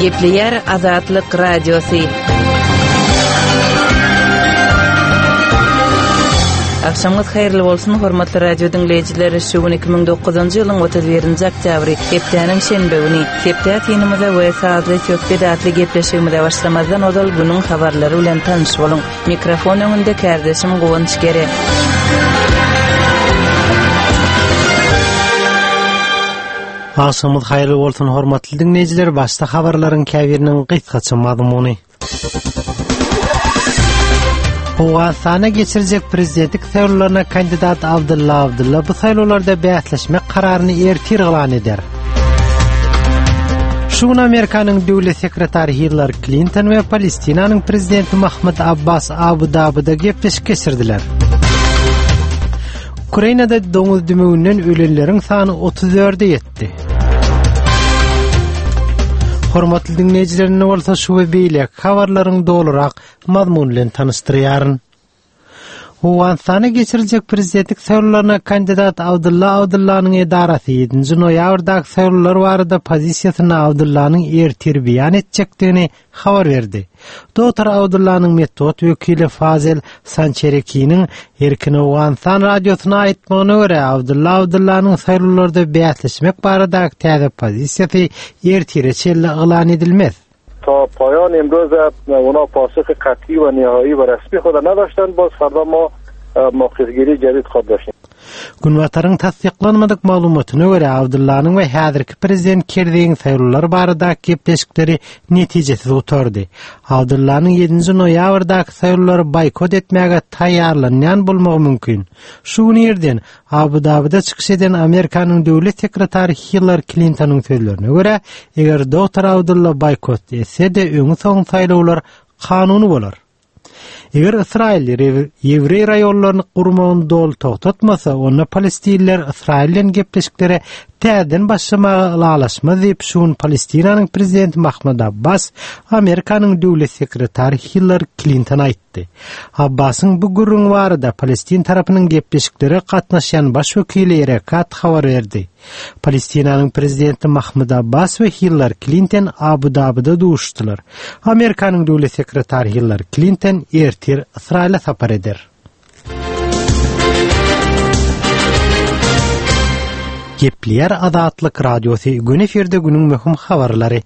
Gepleýär Azatlyk Radiosy. Agşamyňyz haýyrly bolsun, hormatly radio diňleýjiler! Şu gün 2009-njy ýylyň 31-nji oktýabry, hepdäniň şenbe güni. Hepde synymyza we sazly söhbet atly gepleşigimize başlamazdan ozal günüň habarlary bilen tanyş boluň. Mikrofon öňünde kärdeşim Guwanç Gere. Agşamyňyz haýyrly bolsun, hormatly diňleýjiler! Başda habarlaryň käbiriniň gysgaça mazmuny. Owganystanda geçiriljek prezidentlik saýlawlaryna kandidat Abdylla Abdylla bu saýlawlarda bäsleşmek kararyny ertir yglan eder. Şu gün Amerikanyň döwlet sekretary Hillary Klinton we Palestinanyň prezidenti Mahmud Abbas Abu Dabida gepleşik geçirdiler. Ukrainada doňuz dümewinden ölenleriň sany 34-e ýetdi. Hormatly diňleýjiler, indi bolsa şu we beýleki habarlaryň dolurak mazmuny bilen tanyşdyrýaryn. Owganystanda geçiriljek prezidentlik saýlawlaryna kandidat Abdylla Abdyllanyň edarasy ýedinji noýabrdaky saýlawlar barada pozisiýasyny Abdyllanyň ertir beýan etjekdigini habar berdi. Dogtor Abdyllanyň metbugat wekili Fazel Sançerekiniň Erkin Owganystan radiosyna aýtmagyna görä, Abdylla Abdyllanyň saýlawlarda bäsleşmek baradaky täze pozisiýasy ertire çenli yglan edilmez. تا پایان امروز اونا پاسخ قطعی و نهایی و رسمی خود نداشتند باز فردا ما موقفگیری جدید خود داشتیم. Günbataryň tassyklanmadyk maglumatyna görä, Abdyllanyň we häzirki prezident Kerzeýiň saýlawlar baradaky gepleşikleri netijesiz gutardy. Abdyllanyň ýedinji noýabrdaky saýlawlary boýkot etmäge taýýarlanýan bolmagy mümkin. Şu gün irden Abu-Dabida çykyş eden Amerikanyň döwlet sekretary Hillary Klintonyň sözlerine görä, eger doktor Abdylla boýkot etse-de, öňi-soňy saýlawlar kanuny bolar. Eger Ysraýyl ýewreý raýonlaryny gurmagyny doly togtatmasa, onda palestinliler Ysraýyl bilen gepleşiklere täzeden başlamaga ylalaşmaz diýip, şu gün Palestinanyň prezidenti Mahmud Abbas Amerikanyň döwlet sekretary Hillary Klintona aýtdy. Abbasyň bu gürrüňi barada palestin tarapynyň gepleşiklere gatnaşýan baş wekili Erekat habar berdi. Palestinanyň prezidenti Mahmud Abbas we Hillary Klinton Abu-Dabida duşuşdylar. Amerikanyň döwlet sekretary Hillary Klinton ertir Ysraýyla sapar eder. Gepleýär Azatlyk Radiosy, gün efirde günüň möhüm habarlary.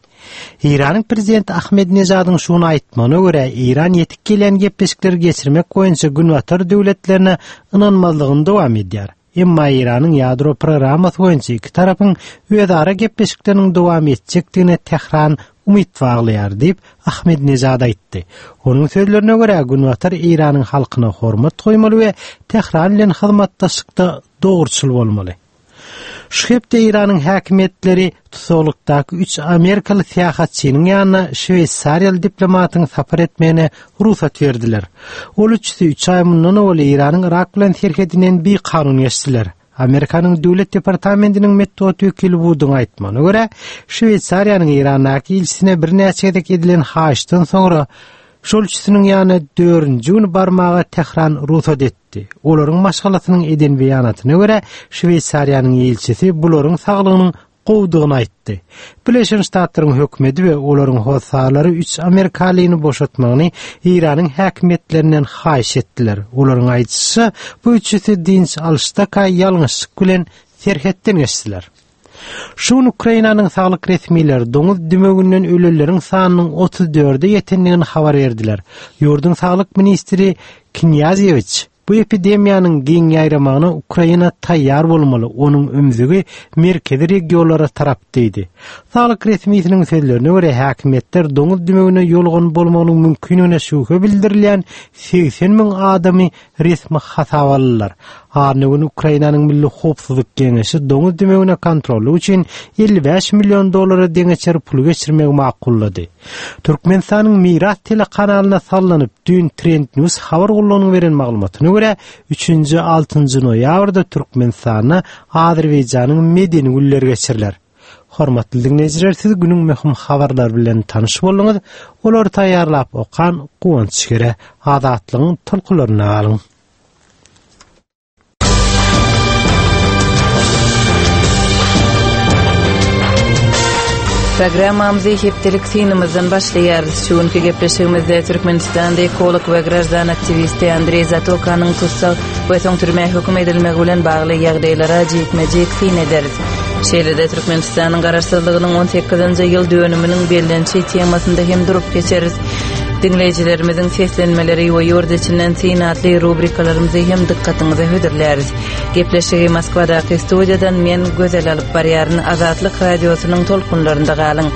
Eýranyň prezidenti Ahmedinejadyň şu gün aýtmagyna görä, Eýran ýetip gelýän gepleşikleri geçirmek boýunça Günbatar döwletlerine ynanmazlygyny dowam edýär. Emma Eýranyň ýadro programmasy boýunça iki tarapyň özara gepleşikleriniň dowam etjekdigine Tähran umyt baglaýar diýip, Ahmedinejad aýtdy. Onuň sözlerine görä, Günbatar Eýranyň halkyna hormat goýmaly we Tähran bilen hyzmatdaşlykda dogruçyl bolmaly. Şu hepde Eýranyň häkimiýetleri tussaglykdaky üç amerikaly syýahatçynyň ýanyna şweýsariýaly diplomatyň sapar etmegine rugsat berdiler. Ol üçüsi üç aý mundan owal Eýranyň Yrak bilen serhedinden bikanun geçdiler. Amerikanyň Döwlet departamentiniň metbugat wekili Wudyň aýtmagyna görä, Şweýsariýanyň Eýrandaky ilçisine birnäçe gezek edilen haýyşdan soňra şol üçüsiniň ýanyna dördünji gün barmaga Tähran rugsat etdi. etdi. Olaryň maşgalasynyň eden beýanatyna görä, Şweýsariýanyň ilçisi bularyň saglygynyň gowudygyny aýtdy. Birleşen Ştatlaryň hökümeti we olaryň hossarlary üç amerikalyny boşatmagyny Eýranyň häkimiýetlerinden haýyş etdiler. Olaryň aýdyşyça, bu üçüsi dynç alyşdaka ýalňyşlyk bilen serhetden geçdiler. Şu gün Ukrainanyň saglyk resmileri doňuz dümewinden ölenleriň sanynyň 34-e ýetendigini habar berdiler. Ýurduň saglyk ministri Knýazewiç bu epidemiýanyň giň ýaýramagyna Ukraina taýýar bolmaly, onuň ümzügi merkezi regionlara tarap diýdi. Saglyk resmisiniň sözlerine görä, häkimiýetler doňuz dümewine ýolugan bolmagynyň mümkinligine şübhe bildirilýän 80 müň adamy resmi hasaba aldylar. Anna güni Ukrainanyň Milli howpsuzlyk geňeşi doňuz dümewine kontrollyk üçin 55 million dollara deňeçer puly geçirmegi makullady. Türkmenistanyň Miras telekanalyna sallanyp, düýn Trend News habar gullugynyň beren maglumatyna görä, üçünji, altynjy noýabrda Türkmenistanda Azerbaýjanyň medeni günleri geçiriler. Hormatly diňleýjiler siz günüň möhüm habarlary bilen tanyş bolduňyz. Olary taýýarlap okan Guwanç Gere. Azatlygyň tolkunlarynda galyň. Programmamyzy hepdelik synymyzdan başlaýarys. Şu günki gepleşigimizde Türkmenistanda ekolog we graždan aktiwisti Andreý Zatokanyň tussag we soň türmä höküm edilmegi bilen bagly ýagdaýlara jikme-jik syn ederis. Şeýle-de Türkmenistanyň Garaşsyzlygynyň on sekizinji ýyl dönüminiň bellenişi temasynda hem durup geçeris. Diňleýjilerimiziň seslenmeleri we ýurt içinden syn atly rubrikalarymyzy hem dykgatyňyza hödürläris. Gepleşigi Moskwadaky studiýadan men Gözel alyp barýaryn. Azatlyk Radiosynyň tolkunlarynda galyň.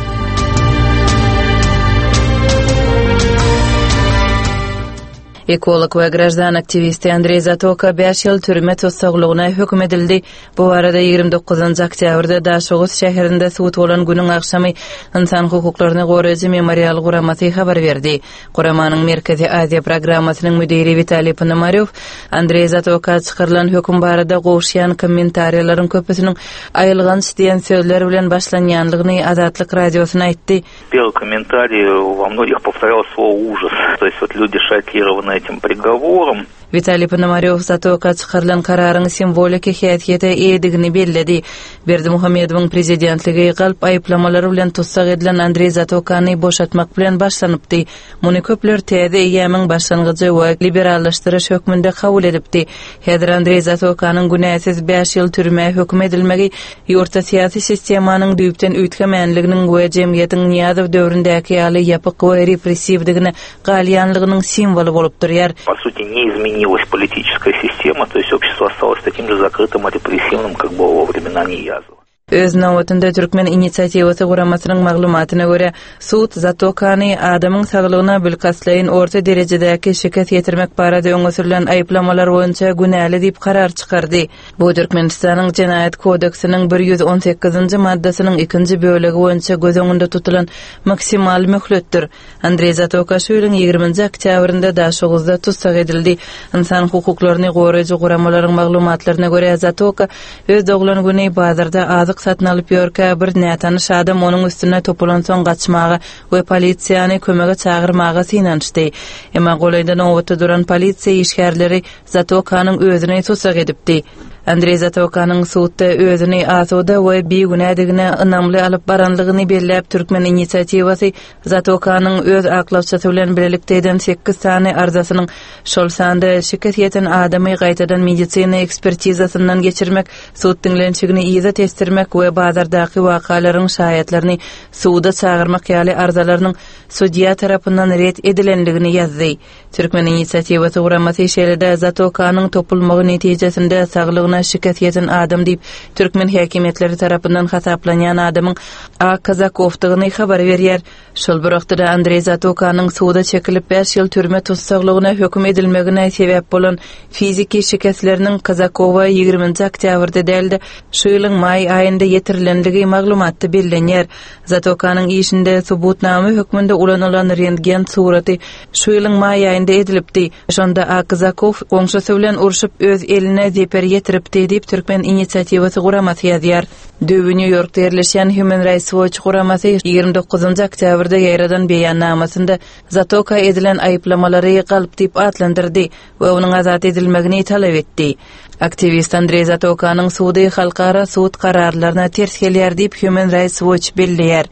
Ekolog we graždan aktiwisti Andreý Zatoka bäş ýyl türme tussaglygyna höküm edildi. Bu barada 29 oktýabrda Daşoguz şäherinde sud bolan günüň agşamy Ynsan hukuklaryny goraýjy Memorial guramasy habar berdi. Guramanyň Merkezi Aziýa programmasynyň müdiri Witaliý Ponomarýow Andreý Zatoka çykarylan höküm barada gowuşýan kommentariýalaryň köpüsiniň aýylganç diýen sözler bilen başlanýanlygyny Azatlyk Radiosyna aýtdy. Первый комментарий во многих повторялось слово ужас. То есть вот люди шокированы этим приговором. Witaliý Ponomarýow Zatoka çykarylan kararyň simwoliki häsiýete eýedigini belledi. Berdimuhamedowyň prezidentligi galp aýyplamalar bilen tussag edilen Andreý Zatokany boşatmak bilen başlanypdy. Muny köpler täze eýýamyň başlangyjy we liberallaşdyryş hökmünde kabul edipdi. Häzir Andreý Zatokanyň günäsiz bäş ýyl türmä höküm edilmegi ýurtda syýasy sistemanyň düýpden üýtgemänliginiň we jemgyýetiň Nyýazow döwründäki ýaly ýapyk we repressiwdigine galýanlygynyň simwoly bolup durýar. Po suti ne izmenilась politiçeskaya sistema, to есть общество осталось таким же закрытым и репрессивным, как было во времена Ниязова. Öz nobatynda Türkmen inisiatiwasy guramasynyň maglumatyna görä, sud Zatokany adamyň saglygyna bilkastlaýyn orta derejedäki şikes ýetirmek barada öňe sürlen aýyplamalar boýunça günäli diýip karar çykardy. Bu Türkmenistanyň Jenaýat kodeksiniň 118-nji maddasynyň ikinji bölegi boýunça göz öňünde tutulan maksimal möhletdir. Andreý Zatoka şu ýylyň ýigriminji oktýabrynda Daşoguzda tussag edildi. Ynsan hukuklaryny goraýjy guramalaryň maglumatlaryna görä, Zatoka öz doglan güni bazarda azyk satyn alyp ýörkä, bir nätanyş adam onuň üstüne topulansoň gaçmaga we polisiýany kömege çagyrmaga synanyşdy. Emma golaýda nobatda duran polisiýa işgärleri Zatokanyň özüni tussag edipdi. Andreý Zatokanyň sudda özüni asuda we bigünädigine ynamly alyp baranlygyny belläp, Türkmen inisiatiwasy Zatokanyň öz aklawçysy bilen bilelikde eden sekiz sany arzasynyň, şol sanda şikes ýeten adamy gaýtadan medisina ekspertizasyndan geçirmek, sud diňlenişigini yza tesdirmek we bazardaky wakalaryň şaýatlaryny suda çagyrmak ýaly arzalarynyň sudýa tarapyndan ret edilendigini ýazdy. Türkmen inisiatiwasy guramasy şeýle-de Zatokanyň topulmagy netijesinde saglygyna şikes ýeten adam diýip, türkmen häkimiýetleri tarapyndan hasaplanýan adamyň A. Kazakowdygyny habar berýär. Şol bir wagtda-da Andreý Zatokanyň suda çekilip bäş ýyl türme tussaglygyna höküm edilmegine sebäp bolan fiziki şikesleriniň Kazakowa ýigriminji oktýabrda däl-de, şu ýylyň maý aýynda ýetirilendigi maglumatda bellenýär. Zatokanyň işinde subutnama hökmünde ulanylan rentgen suraty şu ýylyň maý aýynda edilipdi. Şonda A. Kazakow goňşusy bilen urşup, öz eline zeper ýetiripdi diýip, Türkmen inisiatiwasy guramasy ýazýar. Düýbi Nýu-Ýorkda ýerleşýän Human Rights Watch guramasy 29 oktýabrda ýaýradan beýannamasynda Zatoka edilen aýyplamalary galp diýip atlandyrdy we onuň azat edilmegini talap etdi. Aktiwist Andreý Zatokanyň sudy halkara sud kararlaryna ters gelýär diýip, Human Rights Watch belleýär.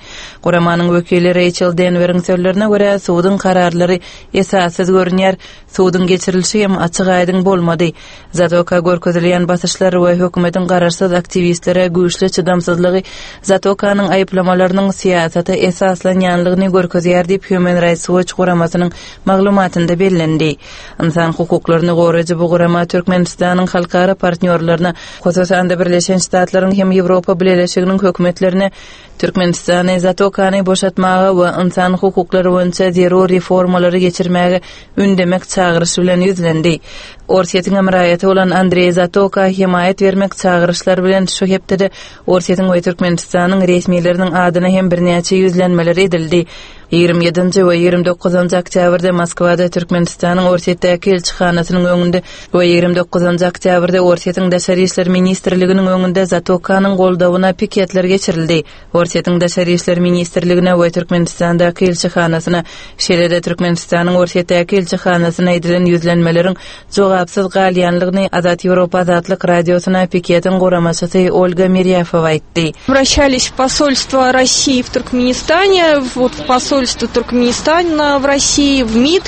Guramanyň wekili Reýçel Denweriň sözlerine görä, suduň kararlary esassyz görünýär, suduň geçirilişi hem açyk-aýdyň bolmady. Zatoka görkezilýän basyşlar we hökümetiň garaşsyz aktiwistlere güýçli çydamsyzlygy Zatokanyň aýyplamalarynyň syýasata esaslanýanlygyny görkezýär diýip, Human Rights Watch guramasynyň maglumatynda bellendi. Ynsan hukuklaryny goraýjy bu gurama Türkmenistanyň halkara partnýorlaryna, hususan-da Birleşen Ştatlaryň hem Ýewropa Bileleşiginiň hökümetlerine Türkmenistany Zatokany boşatmaga we ynsan hukuklary boýunça zerur reformalary geçirmäge ündemek çagyryşy bilen ýüzlendi. Orsýetiň hem raýaty bolan Andreý Zatoka hemaýat bermek çagyryşlary bilen şu hepdede Orsýetiň we Türkmenistanyň resmileriniň adyna hem birnäçe ýüzlenmeler edildi. 27-nji we 29-njy oktýabrda Moskwada Türkmenistanyň Orsýetdäki ilçihanasynyň öňünde we 29-njy oktýabrda Orsýetiň Daşary işler ministrliginiň öňünde Zatokanyň goldawyna piketler geçirildi. Orsýetiň Daşary işler ministrligine we Türkmenistandaky ilçihanasyna, şeýle-de Türkmenistanyň Orsýetdäki ilçihanasyna edilen ýüzlenmeleriň jogapsyz galýanlygyny Azat Ýewropa Azatlyk Radiosyna piketiň guramaçysy Olga Mirýafowa aýtdy. Обращались в посольство России в Туркменистане, вот в посольство Туркменистана в России, в МИД.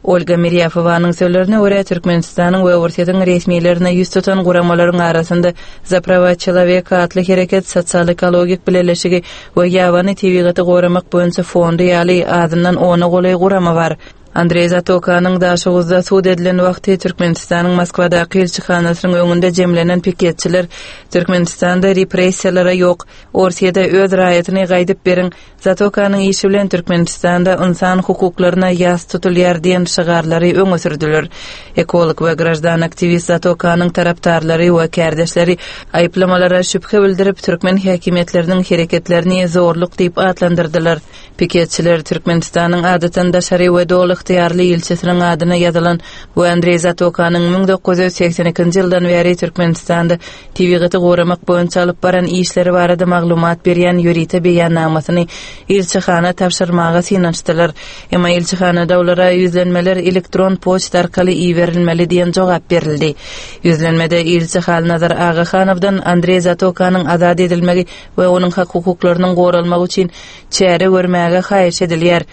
Olga Mirýafowanyň sözlerine görä, Türkmenistanyň we Orsýetiň resmilerine ýüz tutan guramalaryň arasynda Za prawa çeloweka atly hereket, sosial-ekologik bileleşigi we ýabany tebigaty goramak boýunça fondy ýaly azyndan ona golaý gurama bar. Andreý Zatokanyň Daşoguzda sud edilen wagty Türkmenistanyň Moskwadaky ilçihanasynyň öňünde jemlenen piketçiler Türkmenistanda repressiýalara ýok, Orsýede öz raýatyny gaýdyp beriň, Zatokanyň işi bilen Türkmenistanda ynsan hukuklaryna ýas tutulýar diýen şygarlary öňe sürdüler. Ekolog we graždan aktiwist Zatokanyň tarapdarlary we kärdeşleri aýyplamalara şübhe bildirip, türkmen häkimiýetleriniň hereketlerini zorluk diýip atlandyrdylar. Piketçiler Türkmenistanyň adatdan daşary we doly ygtyýarly ilçisiniň adyna ýazylan we Andreý Zatokanyň 1982-nji ýyldan bäri Türkmenistanda tebigaty goramak boýunça alyp baran işleri barada maglumat berýän ýörite beýannamasyny ilçihana tabşyrmaga synanyşdylar. Emma ilçihanada olara ýüzlenmeler elektron poçta arkaly iberilmeli diýen jogap berildi. Ýüzlenmede ilçi Halnazar Agahanowdan Andreý Zatokanyň azat edilmegi we onuň hak-hukuklarynyň goralmagy üçin çäre görmäge haýyş edilýär.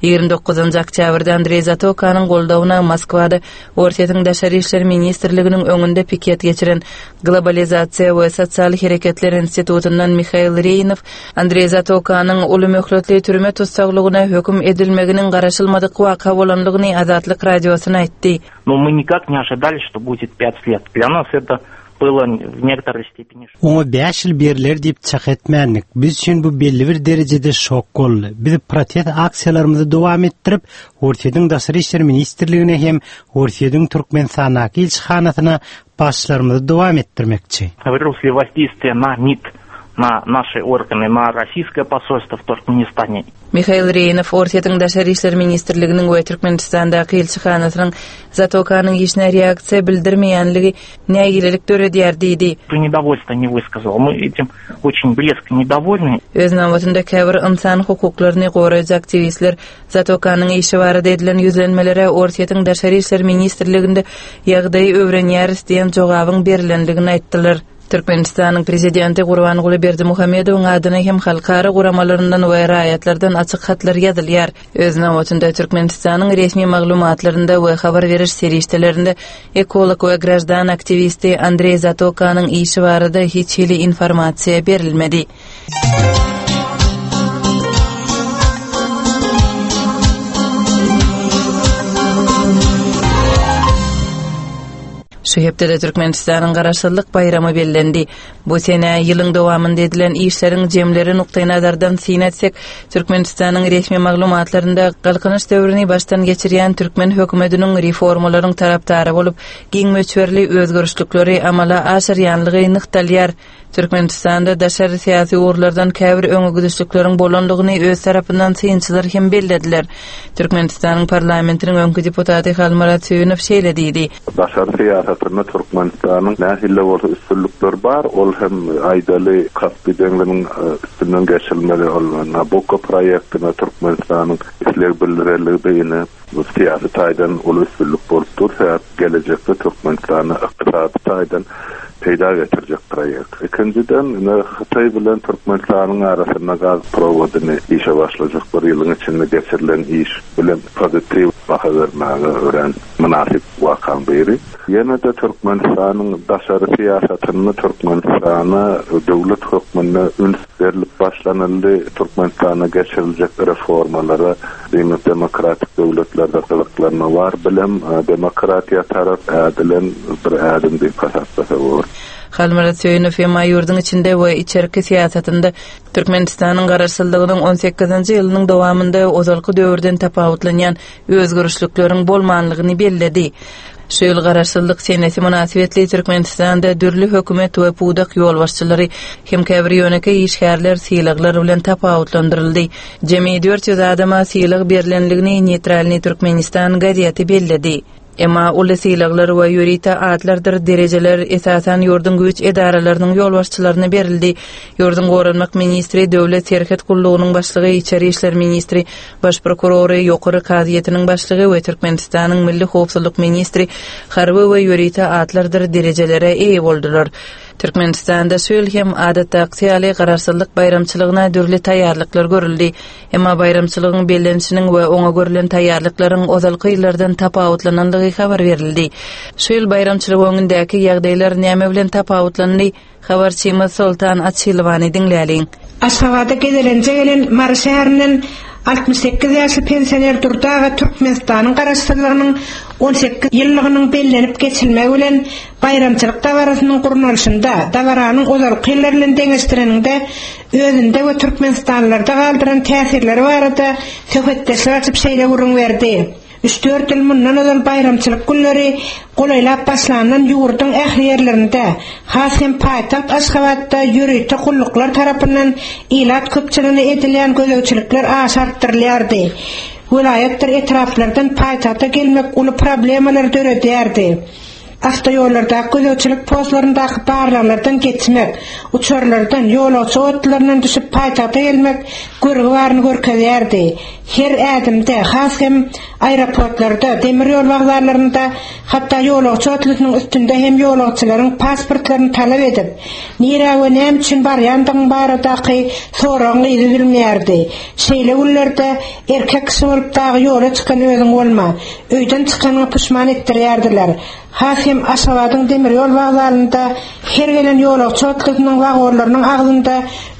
29-njy oktýabrda Andreý Zatokanyň goldawyna Moskwada Orsýetiň Daşary işler ministrliginiň öňünde piket geçiren Globalizasiýa we sosial hereketler institutyndan Mihail Reýnow Andreý Zatokanyň uly möhletli türme tussaglygyna höküm edilmeginiň garaşylmadyk waka bolandygyny Azatlyk Radiosyna aýtdy. No мы никак не ожидали, что будет пять лет. Для нас это было в некоторой степени. Oňa bäş ýyl berler diýip çak etmändik. Biz üçin bu belli bir derejede şok boldy. Biz protest aksiýalarymyzy dowam etdirip, Orsýetiň Daşary işler ministrligine hem Orsýetiň Türkmenistandaky ilçihanasyna basyşlarymyzy dowam etdirmekçi. Выросли воздействие на МИД, на наши органы, на российское посольство в Туркменистане. Mihail Reýnow Orsýetiň Daşary işler ministrliginiň we Türkmenistandaky ilçihanasynyň Zatokanyň işine reaksiýa bildirmeýänligi nägilelik döredýär diýdi. Недовольство не высказал. Мы этим очень резко недовольны. Öz nobatynda käbir ynsan hukuklaryny goraýjy aktiwistler Zatokanyň işi barada edilen ýüzlenmelere Orsýetiň Daşary işler ministrliginde ýagdaýy öwrenýäris diýen jogabyň berlendigini aýtdylar. Türkmenistanyň Prezidenti Gurbanguly Berdimuhamedowyň adyna hem halkara guramalaryndan we raýatlardan açyk hatlar ýazylýar. Öz nobatynda Türkmenistanyň resmi maglumatlarynda we habar beriş serişdelerinde ekolog we graždan aktiwisti Andreý Zatokanyň işi barada hiç hili informasiýa berilmedi. Şu hepdede Türkmenistanyň Garaşsyzlyk baýramy bellendi. Bu senä ýylyň dowamynda edilen işleriň jemleri nukdaýnazardan syn etsek, Türkmenistanyň resmi maglumatlarynda Galkynyş döwrüni başdan geçirýän türkmen hökümetiniň reformalaryň tarapdary bolup, giň möçberli özgerişlikleri amala aşyrýanlygy nygtalýar. Türkmenistanda daşary syýasy ugurlardan käbir öňegidişlikleriň bolandygyny öz tarapyndan synçylar hem bellediler. Türkmenistanyň parlamentiniň öňki deputaty Halmyrat Söýünow şeýle diýdi. Daşary syýasatynda Türkmenistanyň nähili-de bolsa üstünlikleri bar, ol hem aýdaly Kaspi deňziniň üstünden geçirilmeli ol Nabukko proýektine Türkmenistanyň isleg bildirenligi-de ine Bu syýasy taýdan uly üstünlik bolup dur, sebäp gelejekde Türkmenistana ykdysady taýdan peýda getirjek proýekt. Ikinjiden, ine, Hytaý bilen Türkmenistanyň arasynda gaz prowodyny işe başlajak bir ýylyň içinde geçirilen iş bilen pozitiw baha bermäge örän mynasyp wakaň biri. Ýene-de Türkmenistanyň daşary syýasatynda Türkmenistana döwlet hökmünde üns berlip başlanyldy, Türkmenistanda geçiriljek reformalara Diýmek, demokratik döwletlerde gyzyklanma bar. Bilem, demokratiýa tarap ädilen bir ädim diýip hasaplasa bolar. Halmyrat Söýünow emma ýurduň içinde we içerki syýasatynda Türkmenistanyň Garaşsyzlygynyň on sekizinji ýylynyň dowamynda ozalky döwürden tapawutlanýan özgerişlikleriň bolmanlygyny belledi. Şu ýyl Garaşsyzlyk senesi mynasybetli Türkmenistanda dürli hökümet we pudak ýolbaşçylary hem käbir ýönekeý işgärler sylaglar bilen tapawutlandyryldy. Jemi 400 adama sylag berlendigini Neýtralnyý Türkmenistan gazeti belledi. Emma uly sylaglar we ýörite atlardyr derejeler esasan ýurduň güýç edaralarynyň ýolbaşçylaryna berildi. Ýurduň goranmak ministri, Döwlet serhet gullugynyň başlygy, içeri işler ministri, baş prokurory, Ýokary kazyýetiniň başlygy we Türkmenistanyň milli howpsuzlyk ministri harby we ýörite atlardyr derejelere eýe boldular. Türkmenistanda şu ýyl hem adatdaky ýaly Garaşsyzlyk baýramçylygyna dürli taýýarlyklar görüldi. Emma baýramçylygyň bellenişiniň we oňa görlen taýýarlyklaryň ozalky ýyllardan tapawutlanandygy habar berildi. Şu ýyl baýramçylyk öňündäki ýagdaýlar näme bilen tapawutlandy? Habarçymyz Soltan Açylowany diňläliň. Aşgabada gezelenje gelen Mary şäherinden 68 ýaşly pensioner Durdy aga Türkmenistanyň Garaşsyzlygynyň 18 ýyllygynyň bellenip geçilmegi bilen baýramçylyk dabarasynyň gurnalyşynda, dabaranyň ozalky ýyllar bilen deňeşdireniňde özünde we türkmenistanlylarda galdyran täsirleri barada söhbetdeşlik açyp şeýle gürrüň berdi, Üç-dört ýyl mundan ozal baýramçylyk günleri golaýlap başlandan ýurduň ähli ýerlerinde, has hem paýtagt Aşgabatda ýörite gulluklar tarapyndan ilat köpçüligine edilýän gözegçilikler aşa artdyrylýardy. Welaýatdyr etraplardan paýtagta gelmek uly problemalary döredýärdi. Awtoýollardaky gözegçilik postlaryndaky barlaglardan geçmek, uçarlardan, ýolagçy otlularyndan düşüp paýtagta gelmek görgi baryny görkezýärdi. Her ädimde, has hem aeroportlarda, demir ýol wokzallarynda, hatda ýolagçy otlusynyň üstünde hem ýolagçylaryň pasportlaryny talap edip, nirä we näme üçin barýandygyň baradaky soragyň yzy üzülmeýärdi. Şeýle günlerde erkek kişi bolup dagy ýola çykan özüň bolma. Öýden çykanyňa puşman etdirýärdiler. Has hem Aşgabadyň demir ýol wokzalynda her gelen ýolagçy otlusynyň wagonlarynyň agzynda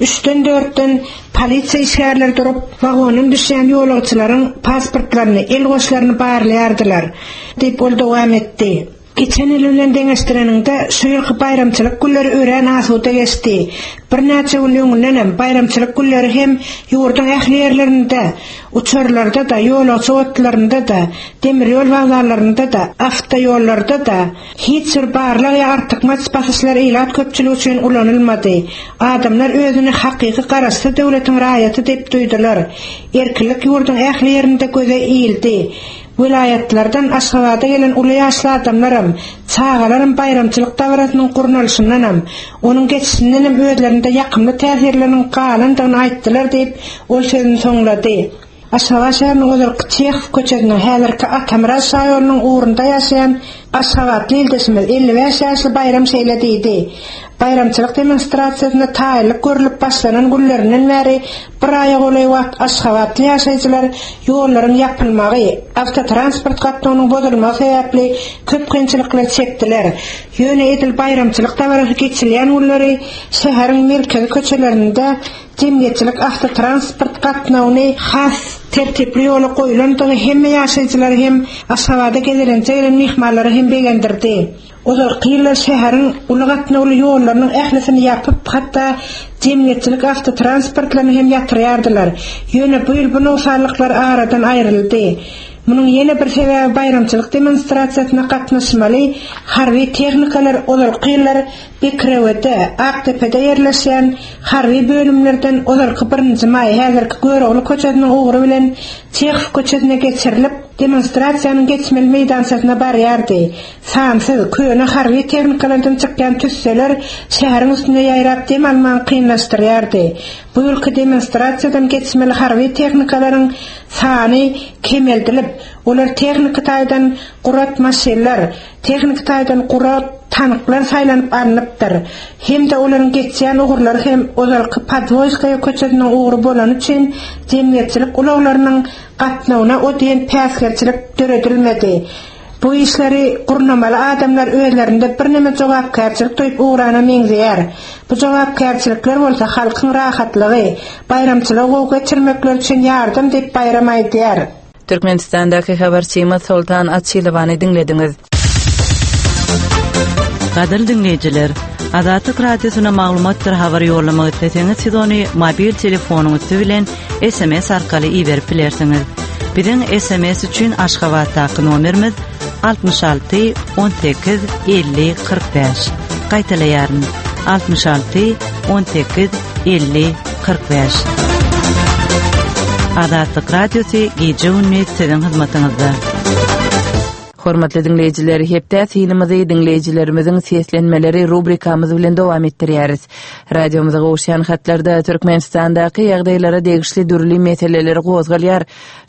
üçden-dörtden polisiýa işgärleri durup, wagondan düşýän ýolagçylaryň pasportlaryny, el goşlaryny barlaýardylar, diýip, ol dowam etdi. Geçen ýyl bilen deňeşdireniňde, şu ýylky baýramçylyk günleri örän asuda geçdi. Birnäçe gün öňündenem, baýramçylyk günleri hem ýurduň ähli ýerlerinde, uçarlarda-da, ýolagçy otlularynda-da, demir ýol wokzallarynda-da, awtoýollarda-da hiç bir barlag ýa artykmaç basyşlar ilat köpçüligi üçin ulanylmady. Adamlar özüni hakyky garaşsyz döwletiň raýaty diýip duýdular. Erkinlik ýurduň ähli ýerinde göze ildi. Welaýatlardan Aşgabada gelen uly ýaşly adamlaram, çagalaram baýramçylyk dabarasynyň gurnalyşyndanam, onuň geçişindenem özlerinde ýakymly täsirleriniň galandygyny aýtdylar diýip, ol sözüni soňlady. Aşgabat şäheriniň ozalky Çehow köçesiniň, häzirki Atamyrat şaýolunyň ugrunda ýaşaýan aşgabatly ildeşimiz, 55 ýaşly Baýram şeýle diýdi, Baýramçylyk demonstrasiýasyna taýynlyk görlüp başlanan günlerinden bäri bir aýa golaý wagt aşgabatly ýaşaýjylar ýollaryň ýapylmagy, awtotransport gatnawynyň bozulmagy sebäpli köp kynçylyklar çekdiler. Ýöne edil baýramçylyk dabarasy geçirilýän günleri şäheriň merkezi köçelerinde jemgyýetçilik awtotransport gatnawyny has tertipli ýola goýlandygy hemme ýaşaýjylary hem, Aşgabada gezelenje gelen myhmanlary hem begendirdi. Ozalky ýyllar şäheriň uly gatnawly ýollarynyň ählisini ýapyp, hatda jemgyýetçilik awtotransportlaryny hem ýatyrýardylar. Ýöne bu ýyl bu nogsanlyklar aradan aýryldy. Munuň ýene bir sebäbi baýramçylyk demonstrasiýasyna gatnaşmaly harby tehnikalar ozalky ýyllar Bekirewede, Akdepede ýerleşýän harby bölümlerden ozalky Birinji maý, häzirki Görogly köçesiniň ugry bilen Çehow köçesine geçirilip, demonstrasiýanyň geçmeli meýdançasyna barýardy. Sansyz, köne harby tehnikalardan çykýan tüsseler şäheriň üstünde ýaýrap dem almagy kynlaşdyrýardy. Bu ýylky demonstrasiýadan geçmeli harby tehnikalaryň sany kemeldilip, olar tehniki taýdan gurat maşynlar, tehniki taýdan gurat tanklar saýlanyp alnypdyr. Hem-de olaryň geçýän ugurlary hem ozalky Podwoýskaýa köçesiniň ugry bolany üçin jemgyýetçilik ulaglarynyň gatnawyna o diýen päsgelçilik döredilmedi. Bu işleri gurnamaly adamlar özlerinde birneme jogapkärçilik duýup ugrana meňzeýär. Bu jogapkärçilikler bolsa halkyň rahatlygy, baýramçylygy gowy geçirmekleri üçin ýardam diýip Baýram aýdýar. Türkmenistandaky habarçymyz Soltan Açylowany diňlediňiz. Gadyrly diňleýjiler, Azatlyk Radiosyna maglumatdyr habar ýollamak isleseňiz siz ony mobil telefonyň üsti bilen SMS arkaly iberip bilersiňiz. Biziň SMS üçin Aşgabatdaky nomerimiz. 66 18 50 45. Gaýtalaýaryn, 66 18 50 45. Azatlyk Radiosy gije-gündiz siziň hyzmatyňyzda. Hormatly diňleýjiler, hepdä synymyzy diňleýjilerimiziň seslenmeleri rubrikamyz bilen dowam etdirýäris. Radiomyza gowuşýan hatlarda Türkmenistandaky ýagdaýlara degişli dürli meseleler gozgalýar.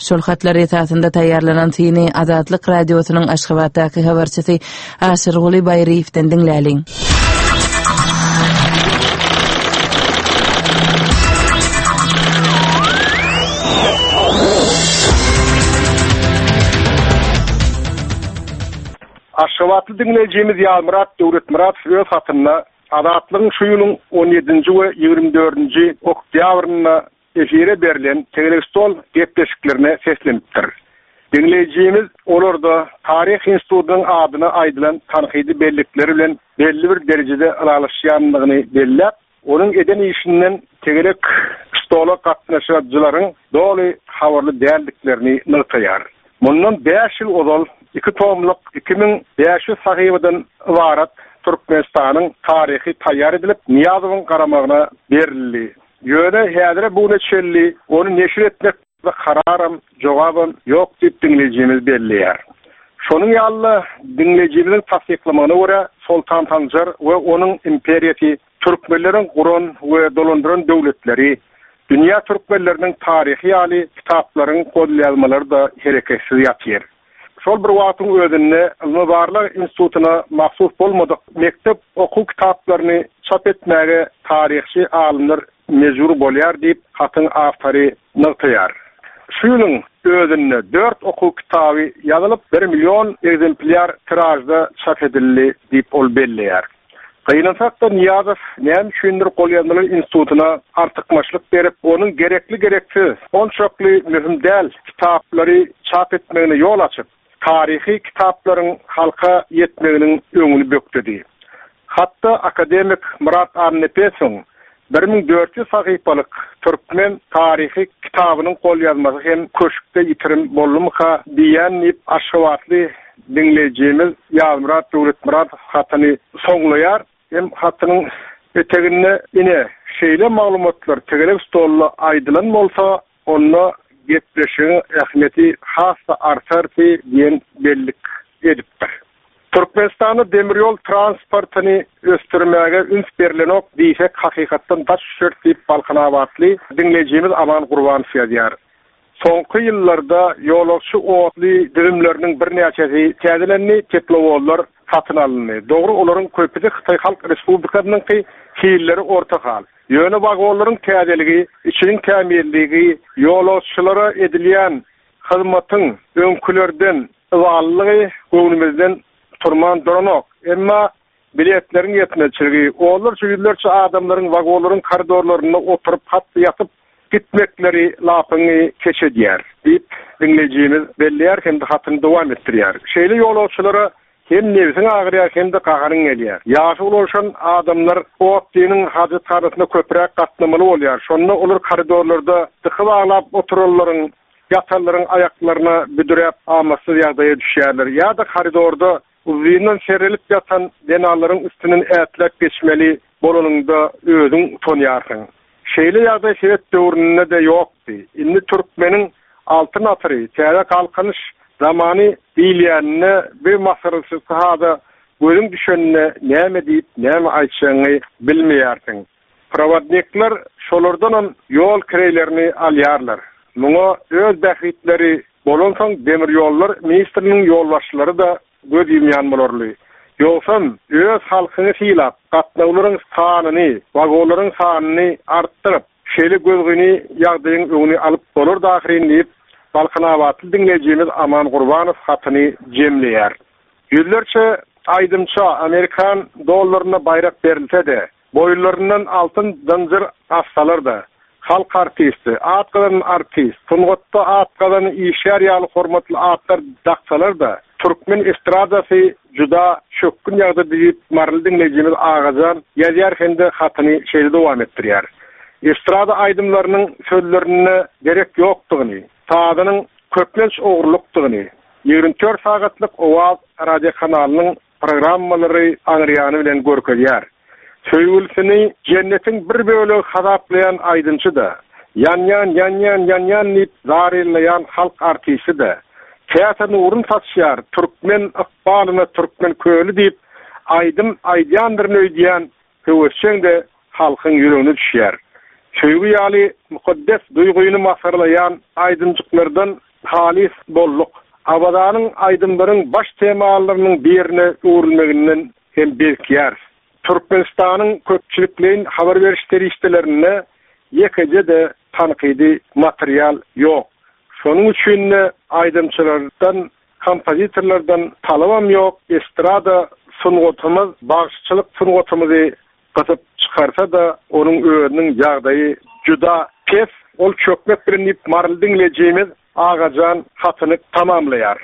Şol hatlar esasynda taýýarlanan syny Azatlyk Radiosynyň Aşgabatdaky habarçysy Aşyrguly Baýryýewden diňläliň. Aşgabatly diňleýjimiz Ýazmyrat Döwletmyradow öz hatynda Azatlygyň şu ýylyň on ýedinji we 24 dördünji oktýabrynda efire berlen tegelek stol gepleşiklerine seslenipdir. Diňleýjimiz olarda Taryh institutynyň adyna aýdylan tankydy bellikler bilen belli bir derejede ylalaşýandygyny belläp, onuň eden işinden tegelek stola gatnaşyjylaryň doly habarly däldiklerini nygtaýar. Mundan bäş ýyl ozal iki tomluk 2500 sahypadan ybarat Türkmenistanyň taryhy taýýar edilip, Nyýazowyň garamagyna berildi. Ýöne häzire bu güne çenli ony neşir etmek barada kararam, jogabam ýok diýip diňleýjimiz belleýär. Şonuň ýaly-da, diňleýjimiziň tassyklamagyna görä, Soltan Sanjar we onuň imperiýasy türkmenleriň guran we dolandyran döwletleri, dünýä türkmenleriniň taryhy ýaly kitaplaryň golýazmalary-da hereketsiz ýatyr. Şol bir wagtyň özünde ylmy-barlag institutyna mahsus bolmadyk mekdep okuw kitaplaryny çap etmäge taryhçy alymlar mejbur bolýar diýip, hatyň awtory nygtaýar. Şu ýylyň özünde dört okuw kitaby ýazylyp, bir million ekzemplýar tiražda çap edildi diýip, ol belleýär. Gynansak-da, Nyýazow näme üçindir golýazmalar institutyna artykmaçlyk berip, onuň gerekli-gereksiz, onçakly möhüm däl kitaplary çap etmegine ýol açyp, taryhy kitaplaryň halka ýetmeginiň öňüni bökdedi. Hatda akademik Myrat Annanepesowyň 1400 sahypalyk Türkmen taryhy kitabynyň golýazmasy hem köşkde ýitirim boldumyka diýýän diýip, aşgabatly diňleýjimiz Ýazmyrat Döwletmyradow hatyny soňlaýar. Hem hatynyň eteginde ine, şeýle maglumatlar tegelek stolda aýdylan bolsa, onda gepleşigiň ähmiýeti has-da artardy diýen bellik edipdir. Türkmenistanda demir ýol transportyny ösdürmäge üns berlenok diýsek hakykatdan daş düşeris diýip balkanabatly diňleýjimiz Aman Gurbanow ýazýar. Soňky ýyllarda ýolagçy otly düzümleriniň birnäçesi täzelendi, teplowozlar satyn alyndy. Dogry olaryň köpüsi Hytaý Halk Respublikasynyňky, hilleri orta hal. Ýöne wagonlaryň täzeligi, içiniň tämizligi, ýolagçylara edilýän hyzmatyň öňkülerden ybalylygy göwnümizden turman duranok. Emma biletleriň ýetmezçiligi, onlarça, ýüzlerçe adamlaryň wagonlaryň koridorlarynda oturyp, hat-da ýatyp gitmekleri lapyňy keç edýär, diýip, diňleýjimiz belleýär hem-de hatyny dowam etdirýär. Şeýle ýolagçylara Hem nebsiň agyrýar, hem-de gaharyň gelýär. Ýaşy ulalşan adamlar otlynyň hajathanasyna köpräk gatnamaly bolýar. Şonda olar koridorlarda dyky baglap oturanlaryň, ýatanlaryň aýaklaryna büdüräp amatsyz ýagdaýa düşýärler. Ýa-da koridorda uzyndan serrelip ýatan zenanlaryň üstünden ätläp geçmeli bolanyňda özüň utanýarsyň. Şeýle ýagdaý sowet döwründe-de ýokdy. Indi türkmeniň Altyn asyry, täze Galkynyş zamany diýilýäninde bir masgaraçylykly hada gözüň düşeninde näme diýip, näme aýtjagyňy bilmeýärsiň. Prowodnikler şolardanam ýol kireýlerini alýarlar. Muňa öz bähbitleri bolansoň demirýollar ministriniň ýolbaşçylary-da göz ýumýan bolarly. Ýogsam, öz halkyňy sylap, gatnawlaryň sanyny, wagonlaryň sanyny artdyryp, şeýle gözgyny ýagdaýyň öňüni alyp bolardy ahyryn diýip, balkanabatly diňleýjimiz Aman Gurbanow hatyny jemleýär. Ýüzlerçe aýdymça amerikan dollarynda baýrak berilse-de, Boýunlaryndan altyn zynjyr assalar-da, Halk artisti, At gazanan artist, Sungatda at gazanan işgär ýaly hormatly atlar daksalar-da, türkmen estradasy juda çökgün ýagdaýda diýip, maryly diňleýjimiz Agajan ýazýar hem-de hatyny şeýle dowam etdirýär, Estrada aýdymlarynyň sözlerinde derek ýokdugyny, sazynyň köplenç ogurlykdygyny. 24 sagatlyk Owaz radiokanalynyň programmalary aňryýany bilen görkezýär. Söýgülisini jennetiň bir bölegi hasaplaýan aýdymçy-da, Ýanýan, ýanýan, ýanýan diýip zaryllaýan halk artisti-de, käte nurun saçýar türkmen ykbalyna türkmen köli diýip aýdym aýdýandyryn öýdýän höwesjeň-de halkyň ýüregine düşýär. Söýgi ýaly mukaddes duýgyny masgaralaýan aýdymjyklardan halys bolduk. Awazanyň aýdymlaryň baş temalarynyň birine öwrülmeginden hem bezikýäris. Türkmenistanyň köpçülikleýin habar beriş serişdelerinde ýekeje-de tankydy material ýok. Şonuň üçin-de aýdymçylardan, kompozitorlardan talabam ýok, estrada sungatymyz, bagşyçylyk sungatymyzy gysyp çykarsa-da, onuň özüniň ýagdaýy juda pes, ol çökmek bilen diýip, maryly diňleýjimiz Agajan hatyny tamamlaýar.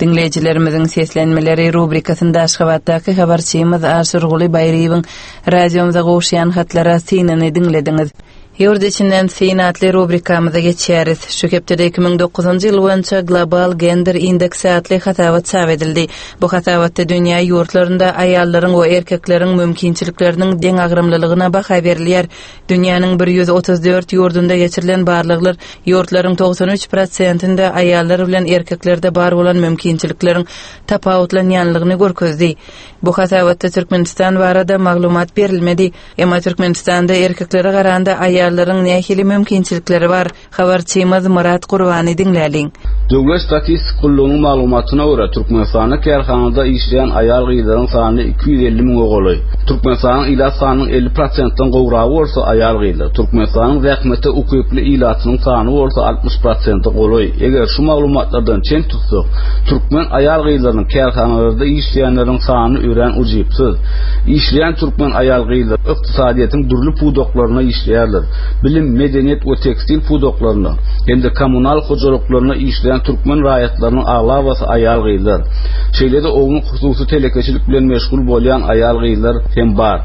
Diňleýjilerimiziň seslenmeleri rubrikasynda Aşgabatdaky habarçymyz Aşyrguly Baýryýewiň radiomyza gowuşýan hatlara synyny diňlediňiz. Ýurt içinden syn atly rubrikamyza geçýäris. Şu hepdede 2009-njy ýyl boýunça Global Gender Indeksi atly hasabat çap edildi. Bu hasabatda dünýä ýurtlarynda aýallaryň we erkekleriň mümkinçilikleriniň deňagramlylygyna baha berilýär. Dünýäniň 134 ýurdunda geçirilen barlaglar ýurtlaryň 93 prosentinde aýallar bilen erkeklerde bar bolan mümkinçilikleriň tapawutlanýanlygyny görkezdi. Bu hasabatda Türkmenistan barada maglumat berilmedi. Emma Türkmenistanda erkeklere garanda aýallaryň nähili mümkinçilikleri bar? Habarçymyz Myrat Gurbany diňläliň. Döwlet statistik gullugynyň maglumatyna görä, Türkmenistanda kärhanada işleýän aýal-gyzlaryň sany 250 müňe golaý. Türkmenistanyň ilat sanynyň 50 prosentden gowragy bolsa aýal-gyzlar. Türkmenistanyň zähmete ukyply ilatynyň sany bolsa 60 prosente golaý. Eger şu maglumatlardan çen tutsak, türkmen aýal-gyzlarynyň kärhanalarda işleýänleriň sany örän ujypsyz. Işleýän türkmen aýal-gyzlary ykdysadyýetiň dürli pudaklarynda işleýärler. Bilim, medeniýet we tekstil pudaklarynda hem-de kommunal hojalyklarynda işleýän türkmen raýatlarynyň aglabasy aýal-gyzlar. Şeýle-de ownuk hususy telekeçilik bilen meşgul bolýan aýal-gyzlar hem bar.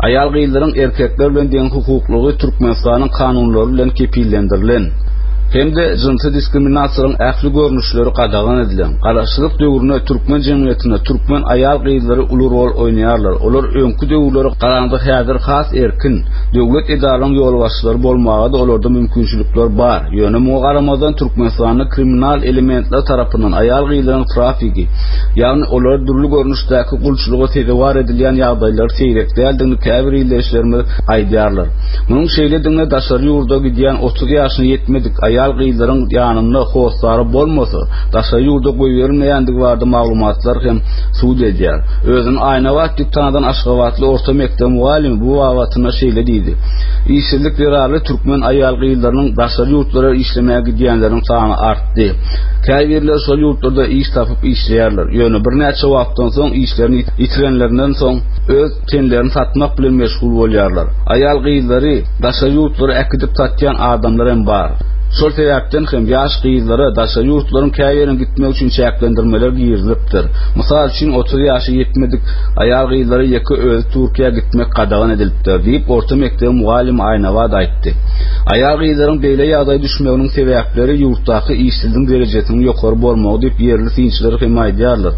Aýal-gyzlaryň erkekler bilen deňhukuklygy Türkmenistanyň kanunlary bilen kepillendirilen. Hem-de jynsy diskriminasiýalaryň ähli görnüşleri gadagan edilen. Garaşsyzlyk döwründe türkmen jemgyýetinde türkmen aýal-gyzlary uly rol oýnaýarlar. Olar öňki döwürlere garanda häzir has erkin, döwlet edaralaryň ýolbaşçylary bolmaga-da olarda mümkinçilikler bar. Ýöne muňa garamazdan Türkmenistanda kriminal elementler tarapyndan aýal-gyzlaryň trafigi, ýagny olary dürli görnüşdäki gulçulyga sezewar edilýän ýagdaýlary seýrek däldigini käbir ildeşlerimiz aýdýarlar. Munuň şeýledigine daşary ýurda gidýän 30 ýaşyna ýetmedik aýal-gyzlaryň ýanynda hossary bolmasa, daşary ýurda goýberilmeýändigi barada maglumatlar hem subut edýär. Özüni Aýnabat diýip tanadan aşgabatly orta mekdep mugallymy bu babatynda şeýle diýdi, Işsizlik zerarly türkmen aýal-gyzlarynyň daşary ýurtlara işlemäge gidýänleriniň sany artdy. Käbirleri şol ýurtlarda iş tapyp işleýärler. Ýöne birnäçe wagtdan soň işlerini ýitirenlerinden soň öz tenlerini satmak bilen meşgul bolýarlar. Aýal-gyzlary daşary ýurtlara äkidip satýan adamlar hem bar. Şol sebäpden hem ýaş gyzlara daşary ýurtlaryň käbirine gitmek üçin çäklendirmeler girizilipdir. Mysal üçin, 30 ýaşa ýetmedik aýal-gyzlara ýeke özi Türkiýä gitmek gadagan edilipdir, diýip, orta mekdebiň mugallymy Aýnabat aýtdy. Aýal-gyzlaryň beýle ýagdaýa düşmeginiň sebäpleri ýurtdaky işsizligiň derejesiniň ýokary bolmagy diýip, ýerli synçylar hem aýdýarlar.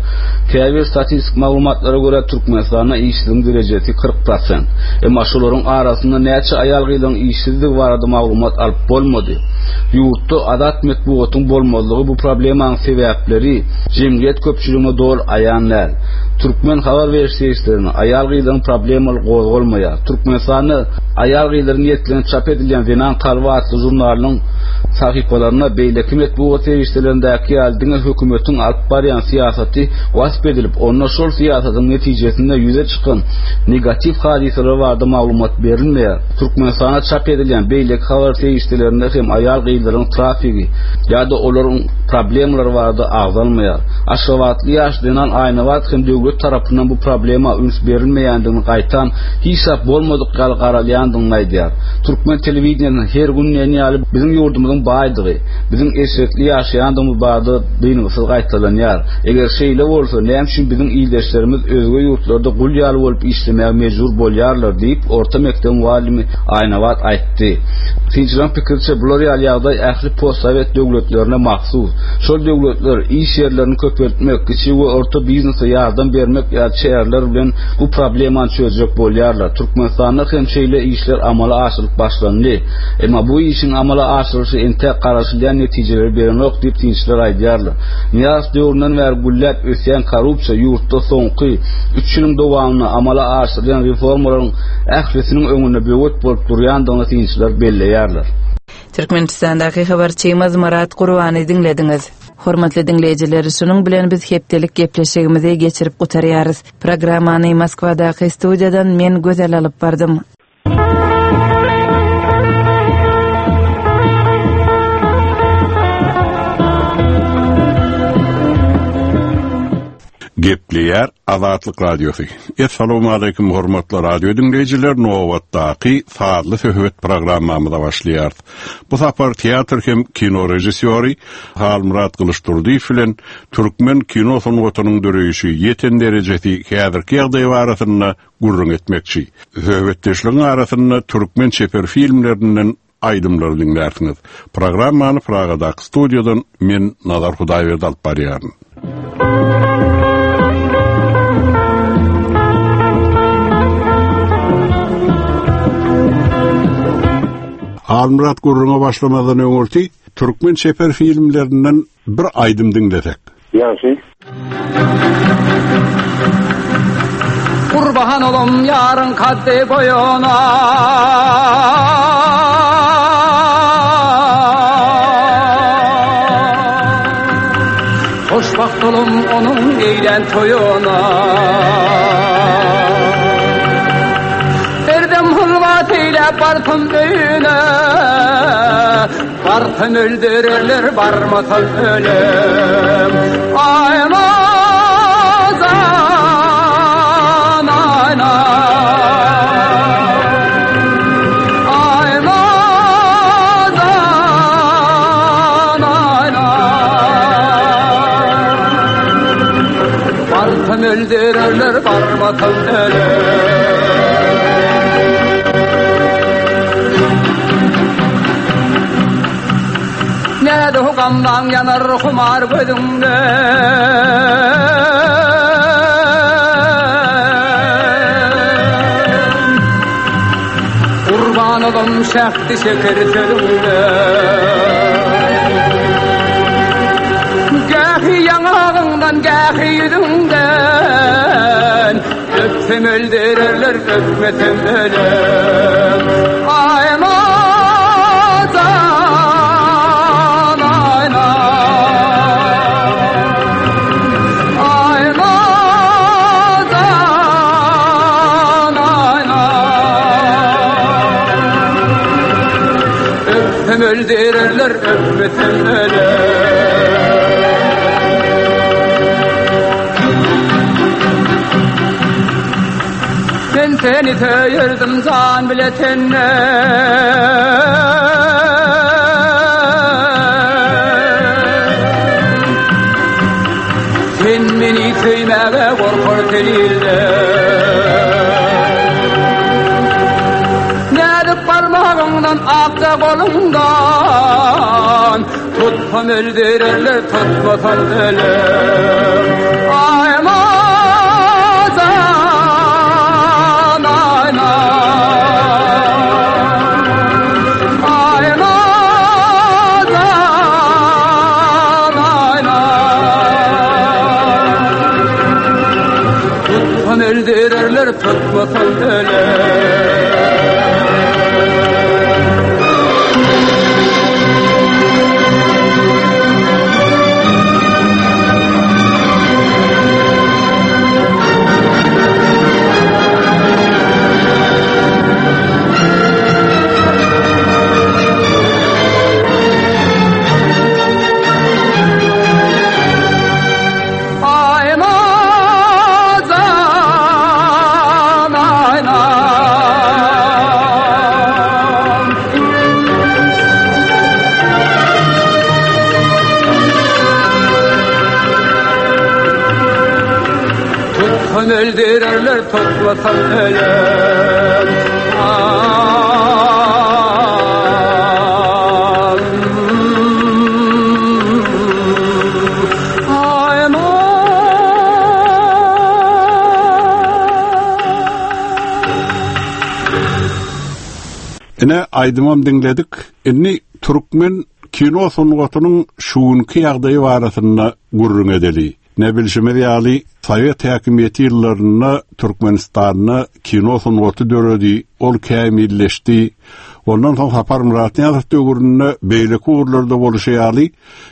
Käbir statistik maglumatlara görä, Türkmenistanda işsizligiň derejesi 40 prosent. Emma şolaryň arasynda näçe aýal-gyzlaryň işsizdigi barada maglumat alyp bolmady. Ýurtda azat metbugatyň bolmazlygy bu problemanyň sebäpleri jemgyýet köpçüligine doly aýan däl. Türkmen habar beriş serişdelerinde aýal-gyzlaryň problemalary gozgalmaýar. Türkmenistanda aýal-gyzlara niýetlenip çap edilýän Zenan kalby atly žurnalynyň sahypalarynda beýleki metbugat serişdelerindäki ýaly diňe hökümetiň alyp barýan syýasaty wasp edilip, onda şol syýasatyň netijesinde ýüze çykan negatiw hadysalar barada maglumat berilmeýär. Türkmenistanda çap edilýän beýleki habar serişdelerinde hem aýal-gyzlaryň trafigi ýa-da olaryň problemalary barada agzalmaýar. Aşgabatly ýaş zenan Aýnabat hem döwlet tarapyndan bu problema üns berilmeýändigini gaýtam hiç zat bolmadyk ýaly garalýandygyny aýdýar. Türkmen telewideniýesinde her gün diýen ýaly biziň ýurdumyzyň. baýdygy, biziň eşretli ýaşaýandygymyz barada dyngysyz gaýtalanýar. Eger şeýle bolsa, näme üçin biziň ildeşlerimiz özge ýurtlarda gul ýaly bolup işlemäge mejbur bolýarlar diýip, orta mekdebiň mugallymy Aýnabat aýtdy. Synçylaryň pikiriçe, bular ýaly ýagdaý ähli postsowet döwletlerine mahsus. Şol döwletler iş ýerlerini köpeltmek, kiçi we orta biznese ýardam bermek ýaly çäreler bilen bu problemany çözjek bolýarlar. Türkmenistanda hem şeýle işler amala aşyrylyp başlandy. Emma bu işiň amala aşyrylyşy entäk garaşylýan netijeleri berenok diýip, synçylar aýdýarlar. Nyýazow döwründen bäri gülläp ösýän korrupsiýa ýurtda soňky üç ýylyň dowamynda amala aşyrylýan reformalaryň ählisiniň öňünde böwet bolup durýandygyny synçylar belleýärler. Türkmenistandaky habarçymyz Myrat Gurbany diňlediňiz. Hormatly diňleýjiler, şunuň bilen biz hepdelik gepleşigimizi geçirip gutarýarys. Programmany Moskwadaky studiýadan men Gözel alyp bardym. Gepleýär Azatlyk Radiosy. Essalawmaleýkim hormatly radio diňleýjiler, nobatdaky sazly söhbet programmamyza başlaýarys. Bu sapar teatr hem kino režissýory Halmyrat Gylyçdurdyýew bilen türkmen kino sungatynyň döreýşi, ýeten derejesi, häzirki ýagdaýy barasynda gürrüň etmekçi. Söhbetdeşligiň arasynda türkmen çeper filmlerinden aýdymlary diňlärsiňiz. Programmany Pragadaky studiýadan men Nazar Hudaýberdi alyp barýaryn. Halmyrat gürrüňe başlamazdan öňürti türkmen çeper filmlerinden bir aýdym diňlesek. Ýagşy. Gurban olam ýaryň kaddy boýuna. Hoşwagt olam onuň eýlän toýuna. Erdem hylwat eýläp barsam öýüne. Barsam öldürerler, barmasam ölem. Aýnazan, aýna. Aýnazan, aýna. Barsam öldürerler, barmasam ölem. Näde gamlaň ýanar humar gözüňde. Gurban olam şähdi şeker sözüňde. Gähi ýaňagyňdan, gähi ýüzüňden. Öpsem öldürerler, öpmesem ölem. Aýnazan, aýna. Aýnazan, aýna. Öpsem öldürerler, öpmesem ölem. Men seni söýerdim jan bile tenden. Sen meni söýmäge gorkar sen ilden. Näzik barmagyňdan akja goluňdan Tutsam öldürerler, tutmasam ölem. Aýnazan, aýna. Aýnazan, aýna. Tutsam öldürerler, tutmasam ölem. Öldürerler toplasam ölen. Ine aýdymam diňledik. Indi türkmen kino sungatynyň şu günki ýagdaýy barasynda gürrüň edeli. Ne bilşimiz ýaly, sowet häkimiýeti ýyllarynda Türkmenistanda kino sungaty döredi, ol kämilleşdi. Ondan soň Saparmyrat Nyýazow döwründe beýleki ugurlarda bolşy ýaly,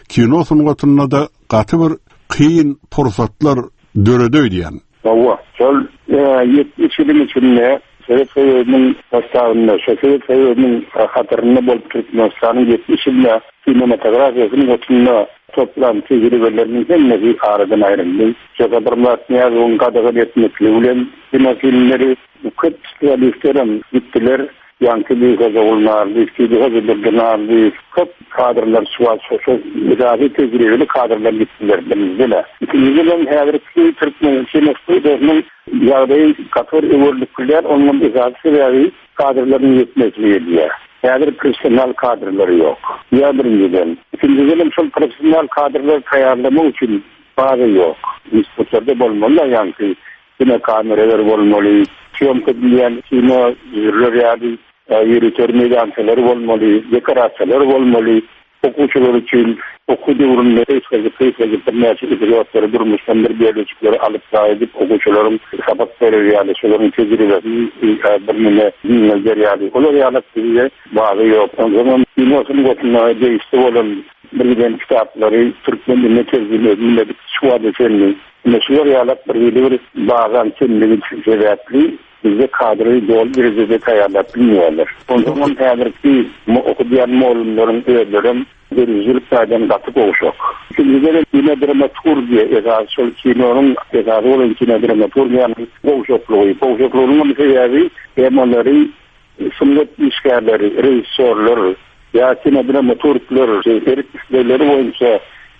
kino sungatynda-da gaty bir kyn pursatlar döredi öýdýän. Hawa, şol 70 ýylyň içinde Sowet Soýuzynyň sostawynda, şo Sowet Soýuzynyň hatarynda bolup Türkmenistanyň 70 ýylda kinematografiýa sungatynda toplan tejribeleriniň hemmesi aradan aýryldy. Şo Saparmyrat Nyýazowyň gadagan etmekligi bilen kinofilmleri köp spesialistlerem gitdiler. Ýaňky bir Hojagul Narlyýew, Tüýli Hojadurdy Narlyýew, köp kadrlar şu wagt şo şo esasy tejribeli kadrlar gitdiler birinjiden-ä. Ikinjidenem häzirki türkmen kinostudiýasynyň ýagdaýy gaty bir öwerlikli däl, onuňam esasy sebäbi kadrlaryň ýetmezçiligi edýär. Häzir professional kadrlar ýok. Ýa birinjiden. Ikinjidenem şol professional kadrlary taýýarlamak üçin baza ýok. Institutlarda bolmaly-da ýaňky Kino kameralar bolmaly, sýomka edilýän kino düzürler ýaly ýörite meýdançalar bolmaly, dekorasiýalar bolmaly. Okuwçylar üçin okuw döwründe gysgajyk-gysgajyk birnäçe epizodlary durmuşdan bir bölejikleri alyp gaýdyp okuwçylaryň sapak berer ýaly, şolaryň tejribesini birneme giňelder ýaly. Olar ýaly bizde baza ýok. Onsoňam kino sungatyna degişli bolan birgiden kitaplary türkmen diline terjime edilmedik şu wagta çenli. Ine şular ýalak bir hili bir bazan kemligi sebäpli bizde kadry doly derejede taýýarlap bilmeýärler. Onsoňam häzirki okudýan mugallymlaryň özlerem döredijilik taýdan gaty gowşak. Ikinjiden kinodramaturgiýa esasy şol kinonyň esasy bolan kinodramaturgiýanyň gowşaklygy. Gowşaklygynyňam sebäbi temalary sungat işgärleri, režissýorlar ýa kinodramaturglar erk-islegleri boýunça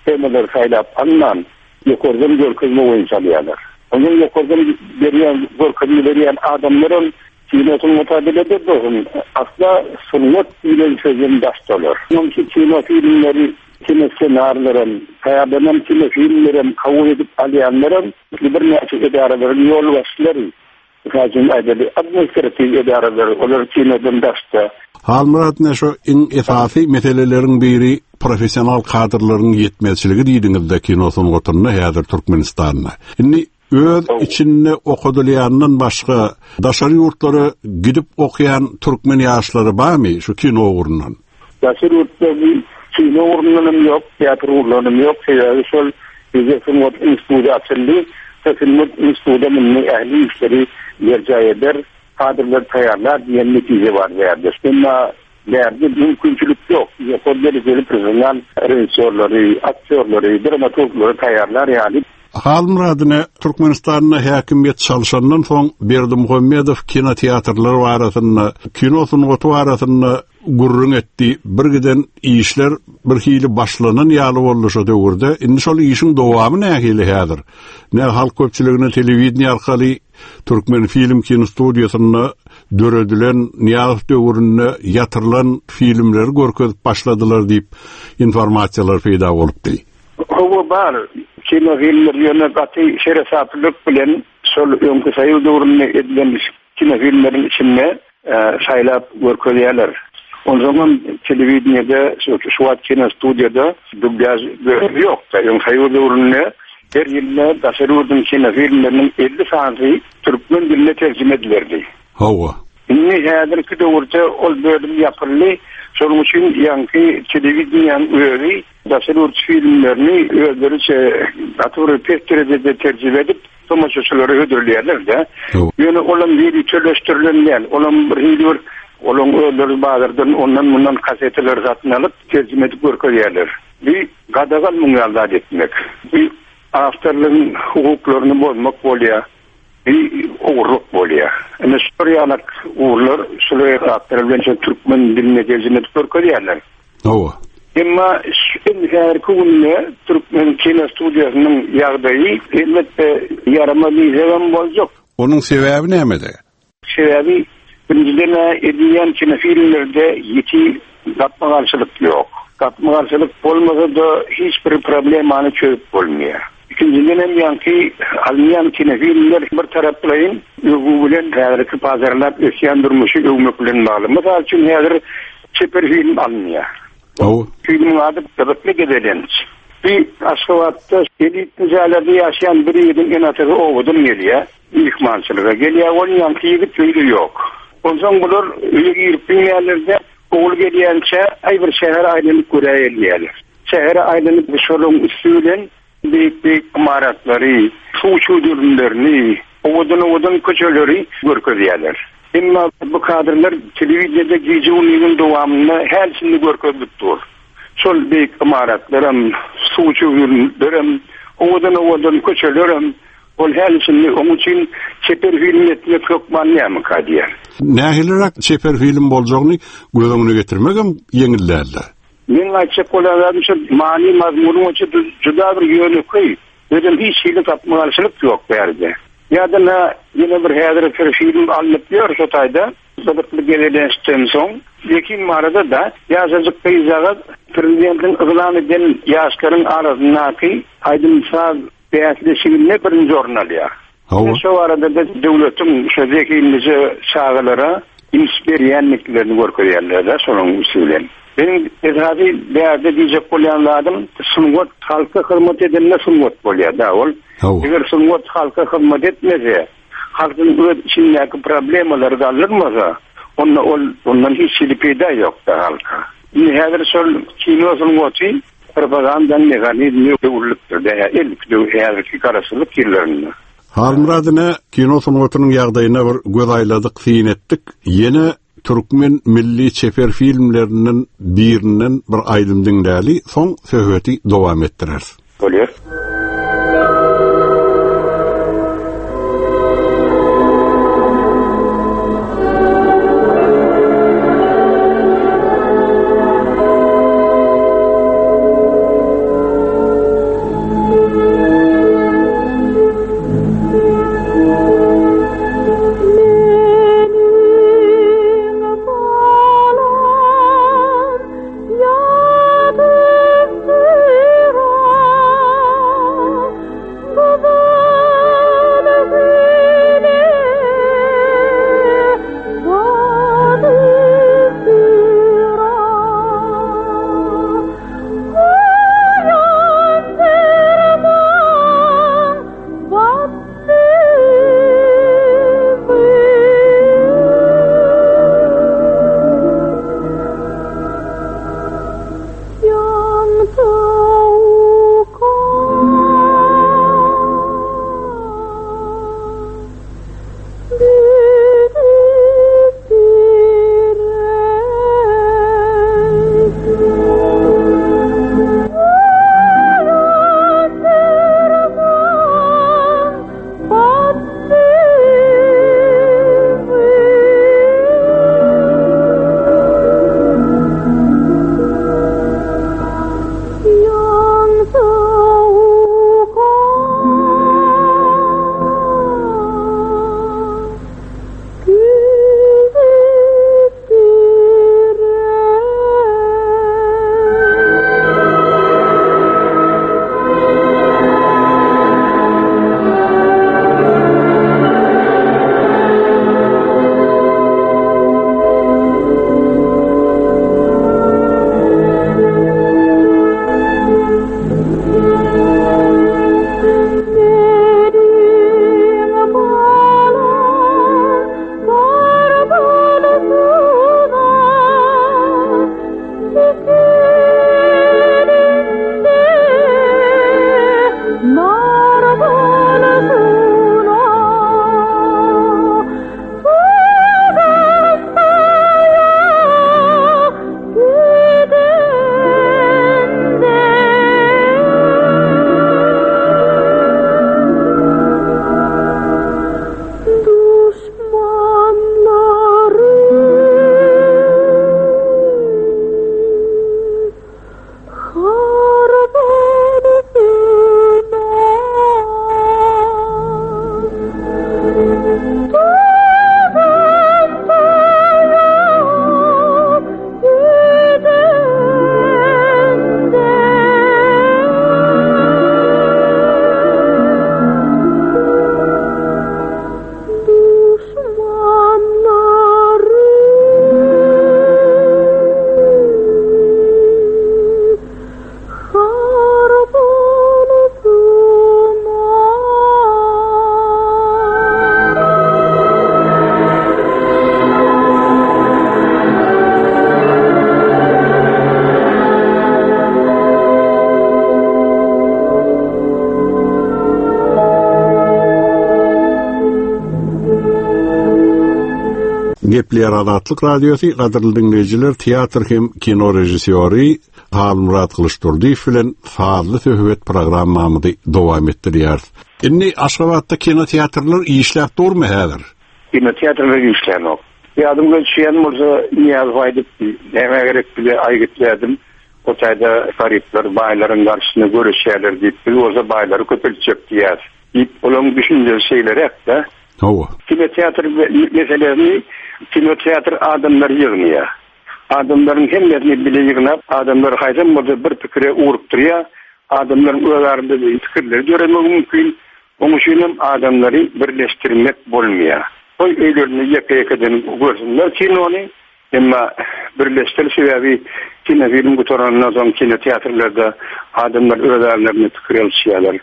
temalary saýlap alman, Ýokardan görkezme boýunça alýarlar. Onsoň ýokardan berýän, görkezme berýän adamlaram kino sungata belet bolsun, asla sungat diýlen sözden daşdalar. Onuň üçin kino filmleri, kino ssenarilerem, taýýarlanan kino filmlerem kabul edip alýanlaram birnäçe edaralaryň ýolbaşçylary. Mysal üçin aýdaly, administratiw edaralar, olar kinodan daşda. Halmyrat ine şu iň esasy meseleleriň biri professional kadrlaryň ýetmezçiligi diýdiňizde kino sungatynda häzir Türkmenistanda. Indi öz içinde okadylýandan başga daşary ýurtlara gidip okaýan türkmen ýaşlary barmy şu kino ugrundan? Daşary ýurtda bir kino ugrundan hem ýok, teatr ugrundan hem ýok. Sebäbi şol bizde sungat instituty açyldy. Şo sungat instituty indi ähli işleri berjaý eder, kadrlary taýýarlar diýen netije bar bu ýerde. Emma bärde mümkinçilik ýok. Ýokary derejeli professional režissýorlary, aktýorlary, dramaturglary taýýarlar ýaly. Halmyrat ine, Türkmenistanda häkimiýet çalşandan soň Berdimuhamedow kinoteatrlar barasynda, kino sungaty barasynda gürrüň etdi. Birgiden işler bir hili başlanan ýaly boldy şo döwürde. Indi şol işiň dowamy nähili häzir? Ne halk köpçüligine telewideniýe arkaly Türkmen film kinostudiýasynda döredilen Nyýazow döwründe ýatyrylan filmleri görkezip başladylar diýip informasiýalar peýda bolupdy. Hawa bar. Kinofilmler ýöne gaty seresaplylyk bilen şol öňki soýuz döwründe edilen kinofilmleriň içinde saýlap görkezýärler. Onsoňam telewideniýede şu wagt kinostudiýada dublýaž bölümi ýok-da. Öň soýuz döwründe her ýylda daşary ýurduň kinofilmleriniň 50 sanysy türkmen diline terjime edilerdi. Hawa. Indi häzirki döwürde ol bölüm ýapyldy. Şonuň üçin ýaňky telewideniýäniň özi daşary ýurt filmlerini özleriçe gaty bir pes derejede terjime edip, tomaşaçylara hödürleýärler-de. Ýöne olam ýöriteleşdirilen däl. Olam bir hili bir olaň özleri bazardan ondan-mundan kaseteleri satyn alyp, terjime edip görkezýärler. Bu gadagan muň ýaly zat etmek. Bu awtorlygyň hukuklaryny bozmak bolýar. Bu ogurlyk bolýar. Ine şular ýalak ugurlar şular zatlar bilen şol türkmen diline terjime edip görkezýärler. Hawa. Emma şu häzirki günde türkmen kinostudiýasynyň ýagdaýy elbetde ýaramaz diýsegem boljak. Onuň sebäbi nämede? Sebäbi birinjiden-ä edilýän kinofilmlerde ýiti gapma-garşylyk ýok. Gapma-garşylyk bolmasa-da hiç bir problemany çözüp bolmaýar. Ikinjiden hem ýaňky alynýan kinofilmler bir taraplaýyn öwgi bilen häzirki pajarlap ösýän durmuşy öwmek bilen bagly. Mysal üçin häzir çeper film alynýar. Hawa. Filmiň ady Gyzykly gezelenç. Bir Aşgabatda elitli jaýlarda ýaşaýan bir ýigidiň ene-atasy obadan gelýär. Myhmançylyga gelýär ol ýaňky ýigit öýde ýok. Onsoň bular öýe girip bilmeýärler-de, ogul gelýänçä aý bir şähere aýlanyp göräýeli diýýärler. Şähere aýlanyp şolaryň üsti bilen beýik-beýik ymaratlary, suw çüwdürimlerini, owadan-owadan köçeleri görkezýärler. Emma bu kadrlar telewideniýede gije-gündiziň dowamynda häli-şindi görkezilip dur. Şol beýik ymaratlaram, suw çüwdürimlerem, owadan-owadan köçelerem Ol häli-şindi oň üçin çeper film etmek hökman nämika diýýär. Nähiliräk çeper film boljagyny göz öňüne getirmegem ýeňil däldi. Meň aýtjak bolýan zadym şu many-mazmuny boýunça juda bir ýönekeý, özem hiç hili gapma-garşylyk ýok bärde. Ýa-da na ýene bir häzir bir film alnyp ýör şo taýda, gyzykly gezelençden soň, Zekin barada-da ýaşajyk gyzjagaz prezidentiň yglan eden ýaşlaryň arasyndaky aýdym-saz Bäsleşiginde birinji orun alýar. Hawa. Şo barada-da döwletiň şo zehinlije çagalara üns berýändiklerini görkezýärler-de şolaryň üsti bilen. Meniň esasy bärde diýjek bolýan zadym sungat halka hyzmat edende sungat bolýar-da ol. Hawa. Eger sungat halka hyzmat etmese, halkyň öz içindäki problemalary galdyrmasa, onda ol ondan hiç hili peýda ýok-da halka. Indi häzir şol kino sungaty Propagandanyň mehanizmi öwrülipdir dä ilki döw häzirki garaşsyzlyk ýyllarynda. Halmyrat ine kino sungatynyň ýagdaýyna bir göz aýladyk, syn etdik. Ýene türkmen milli çeper filmlerinden birinden bir aýdym diňläli, soň söhbeti dowam etdireris. Bolýar. Gepleýär Azatlyk Radiosy, gadyrly diňleýjiler, teatr hem kino režissýory Halmyrat Gylyçdurdyýew bilen sazly söhbet programmamyzy dowam etdirýäris. Indi Aşgabatda kinoteatrlar işläp durmy häzir? Kinoteatrlar işlänok. Ýadyňda düşýän bolsa, Nyýazow aýdypdy, Nämä gerek bize aýgytly ädim, o taýda garyplar baýlaryň garşysyna göreşýärler diýip, biz bolsa baýlary köpeltjek diýýäris. Diýip, olaryň düşünjesi şeýleräk-dä. Hawa. Kinoteatr meselesini kinoteatr adamlary ýygnaýar. Adamlaryň hemmesini bile ýygnap, adamlary haýsam bolsa bir pikire ugrukdyrýar. Adamlaryň öz arasynda pikirleri döremegi mümkin. Onuň üçinem adamlary birleşdirmek bolmaýar. Goý öýlerinde ýeke-ýekeden görsünler kinony. Emma birleşdir sebäbi kinofilm gutarandan soň kinoteatrlarda adamlar öz aralarynda pikir alyşýarlar.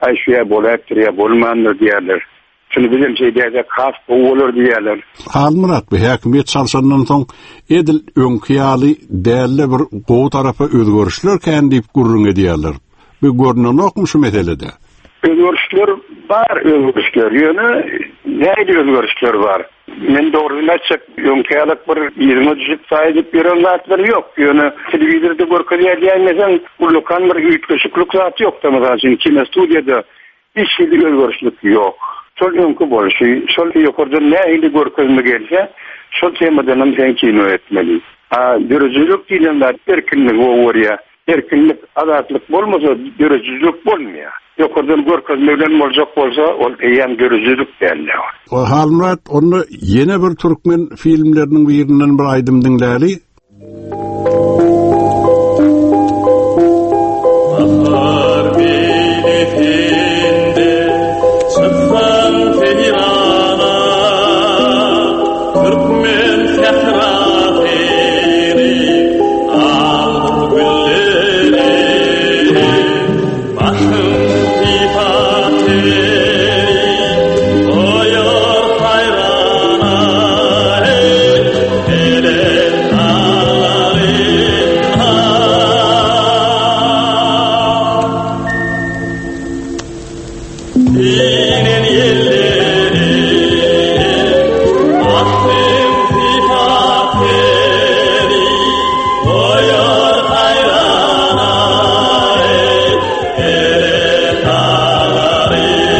Aý şu ýa bolaýypdyr ýa bolmandyr diýýärler. Şuny bizem şeýdäýsek has gowy bolar diýýärler. Halmyrat bu häkimiýet çalşandan soň edil öňki ýaly dälde bir gowy tarapa özgerişler kän diýip gürrüň edýärler. Bu görnenokmy şu meselede? Özgerişler bar özgerişler ýöne nähili özgerişler bar? Men dogrusyny aýtjak, öňki ýalak bir yzyňa düşüp saý edip ýören zatlar ýok. Ýöne telewizorda görkezýär diýäýmeseň, ullakan bir üýtgeşiklik zat ýok-da. Mysal üçin, kinostudiýada hiç hili özgerişlik ýok. Şol öňki bolşy, şol ýokardan nähili görkezme gelse, şol temadanam sen kino etmeli. A döredijilik diýlen zat erkinligi gowy görýär. Erkinlik, azatlyk bolmasa döredijilik bolmaýar. Ýokardan görkezme bilen boljak bolsa, ol eýýäm döredijilik däldi. Halmyrat, onda ýene bir türkmen filmleriniň birinden bir aýdym diňläli. Bahar beýlesinde çyksaň seýrana, Türkmen sährasyny aldyr gülleri. Başym sypat seni goýar haýrana, eý, belent daglarynda. Inen ýelleri Başym sypat seni goýar haýrana, eý, belent daglarynda.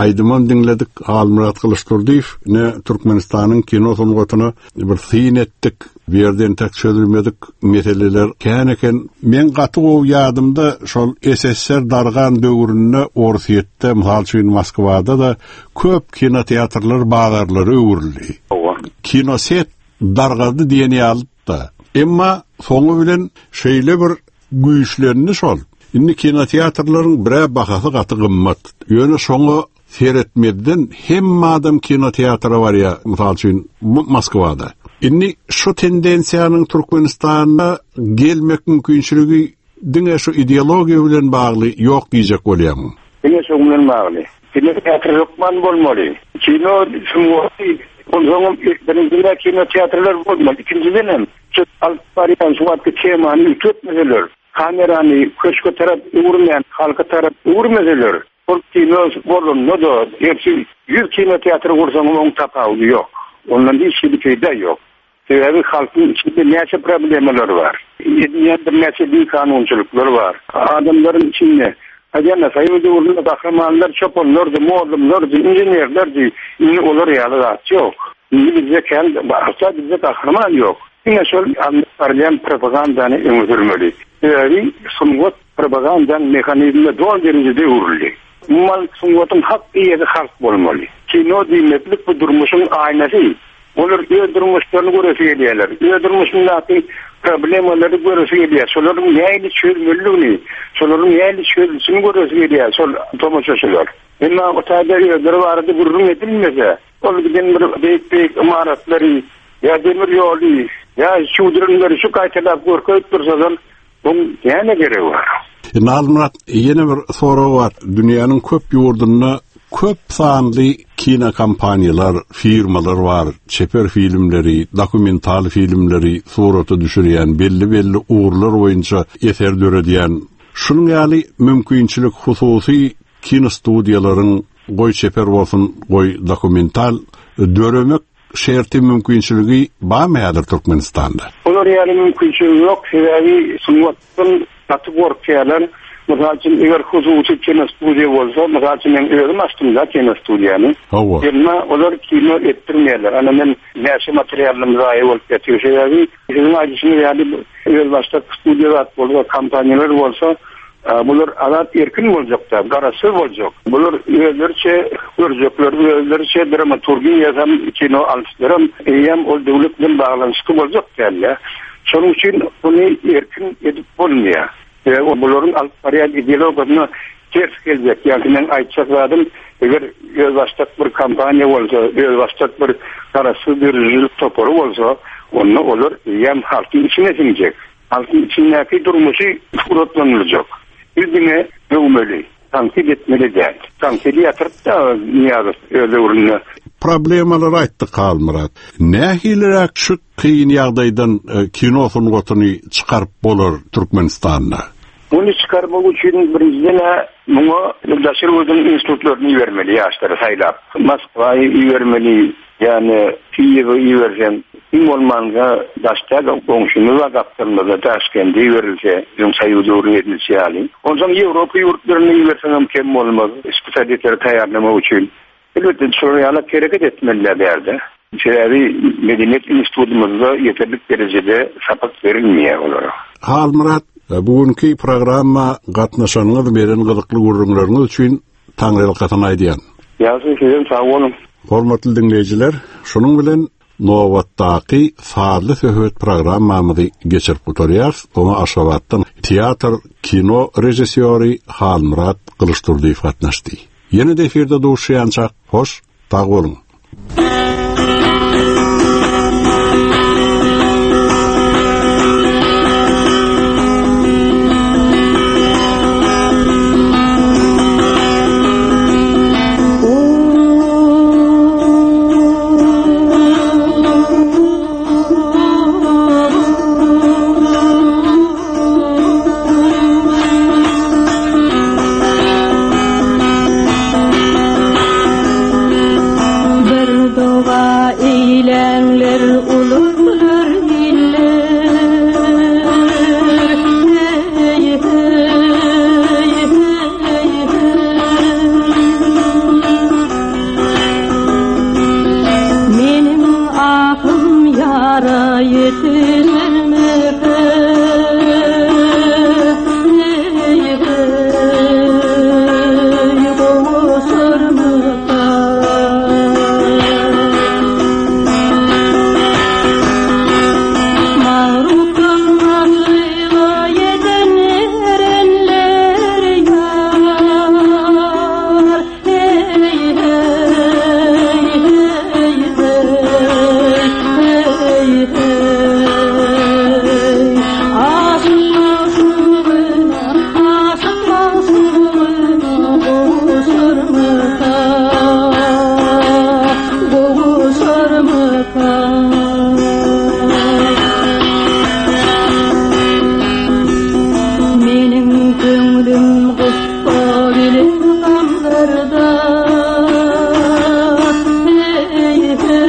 Aýdymam diňledik. Halmyrat Gylyçdurdyýew ne Türkmenistanyň kino sungatyna bir syn etdik. Bu ýerde entek çözülmedik meseleler kän eken. Meň gaty gowy ýadymda şol SSR dargan döwründe Orsýetde, mysal üçin Moskwada-da köp kinoteatrlar bazarlara öwrüldi. Kinoset dargady diýen ýalydy-da. Emma soňy bilen şeýle bir güýçlendi şol. Indi kinoteatrlaryň bir-ä bahasy gaty gymmat. Ýöne şoňa seretmezden hemme adam kinoteatra barýar, mysal üçin, Moskwada. Indi şu tendensiýanyň Türkmenistanda gelmek mümkinçiligi diňe şu ideologiýa bilen bagly ýok diýjek bolýarmyň? Diňe şoň bilen bagly. Kinoteatr hökman bolmaly. Kino sungaty, onsoňam birinjiden kinoteatrlar bolmaly, ikinjidenem şu alyp barýan şu wagtky temany üýtgetmeseler, kamerany köşge tarap öwürmän, halka tarap öwürmeseler, Ol kino bolanda-da, gerçi ýüz kinoteatr gursaňam oň tapawudy ýok. Ondan hiç hili peýda ýok. Sebäbi halkyň içinde näçe problemalar bar. Edilýän birnäçe bikanunçylyklar bar. Adamlaryň içinde, aýdýan-a, soýuz döwründe gahrymanlar çopanlardy, mollumlardy, inženerlerdi. Indi olar ýaly zat ýok. Indi bizde kän, asla bizde gahryman ýok. Diňe şol alnyp barylýan propagandany öňe sürmeli. Sebäbi sungat Propagandanyň mehanizmine doly derejede öwrüldi. Umuman, sungatyň hak eýesi halk bolmaly. Kino diýmeklik bu durmuşyň aýnasy. Olar öz durmuşlaryny göresi gelýärler. Öz durmuşyndaky problemalary göresi gelýär. Şolaryň nähili çözmelidigini, şolaryň nähili çözülişini göresi gelýär şol tomaşaçylar. Emma o taýda özleri barada gürrüň edilmese, ol giden bir beýik-beýik ymaratlary ýa demir ýoly, ýa çüwdürimleri şu gaýtalap görkezip dursalar, Oň näme geregi bar? Indi Halmyrat, ýene bir sorag bar. Dünýäniň köp ýurdunda köp sanly kinokompaniýalar, firmalar bar, çeper filmleri, dokumental filmleri surata düşürýän, belli-belli ugurlar boýunça eser döredýän. Şunuň ýaly mümkinçilik hususy kinostudiýalaryň, goý çeper bolsun, goý dokumental, döremek şerti mümkinçiligi barmy häzir Türkmenistanda? Olar ýaly mümkinçiligi ýok, sebäbi sungatdan gaty gorkýarlar. Mysal üçin, eger hususy kinostudiýa bolsa, mysal üçin men özüm açdym-da kinostudiýany. Hawa. Emma olar kino etdirmeýärler. Ana men näçe materialym zaýa bolup ýatyr. Sebäbi siziň aýdyşyňyz ýaly özbaşdak studiýa zat bolsa, kompaniýalar bolsa, Bular azat erkin boljakda, garaşsyz boljak. Bular özleriçe görjekler, özleriçe dramaturgiýa ýazan kino alyşlaram eýýäm ol döwlet bilen baglanyşykly boljak dälde. Şonuň üçin muny erkin edip bolmaýar. Sebäbi bularyň alyp barýan ideologiýasyna ters geljek. Ýagny meň aýtjak zadym, eger özbaşdak bir kompaniýa bolsa, özbaşdak bir garaşsyz döredijilik topary bolsa, onda olar eýýäm halkyň içine siňjek. Halkyň içindäki durmuşy suratlandyryjak. Biz diňe döwmeli, tankyt etmeli däl. Tankydy ýatyryp-da Nyýazow öz döwründe. Problemalary aýtdyk Halmyrat. Nähiliräk şu kyn ýagdaýdan kino sungatyny çykaryp bolar Türkmenistanda? Muny çykarmak üçin birinjiden-ä muňa daşary ýurduň institutlaryny ibermeli ýaşlary saýlap. Moskwa ibermeli, Ýagny Kiýewe iberseň, iň bolmanda daş däl, goňşymyz bar gapdalymyzda, Daşkende iberilse, öň Soýuz döwründe edilişi ýaly. Onsoň Ýewropa ýurtlaryna iberseňem kem bolmaz, spesialistleri taýýarlamak üçin. Elbetde, şolar ýaly hereket etmeliler bärde. Sebäbi medeniýet institutymyzda ýeterlik derejede sapak berilmeýär olara. Halmyrat. Bu günki programma gatnaşanyňyz, beren gyzykly gürrüňleriňiz üçin taňryýalkasyn aýdýan. Ýagşy, sizem sag boluň. Hormatly diňleýjiler, şunuň bilen nobatdaky sazly söhbet programmamyzy geçirip gutarýarys. Oňa Aşgabatdan teatr, kino režissýory Halmyrat Gylyçdurdyýew gatnaşdy. Ýene-de efirde duşýançak, hoş, sag boluň! Bir doga eýläňler uluglar iller Heý heý heý heý Meniň ahym ýara ýetişermikä Heý heý gowuşarmyka Magrupdan aşyga ýeten erenler ýar Heý heý heý heý heý heý Aşyk magşugyna aşyk magşugyna gowuşarmyka gowuşarmyka Meniň köňlüm gussa bilen gamlarda Heý heý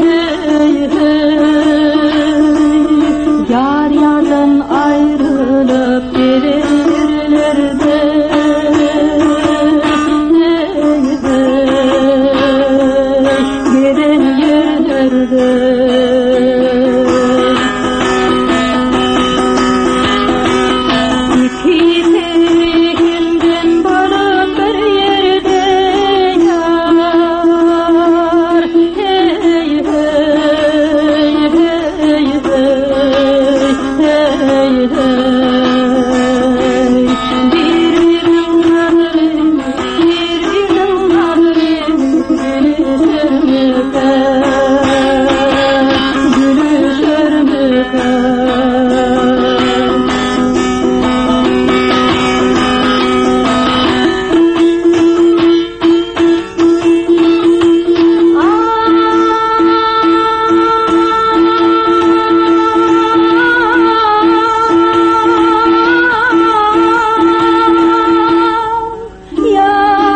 heý heý Ýar ýardan aýrylyp gezen ýerlerde Heý heý gezen ýerlerde Ikisi hemdem bolup bir ýerde ýar Heý heý heý heý heý heý Bir-biriniň gadyryny bir-biriniň gadyryny bilişermikä Gülüşermikä. Ýar eý.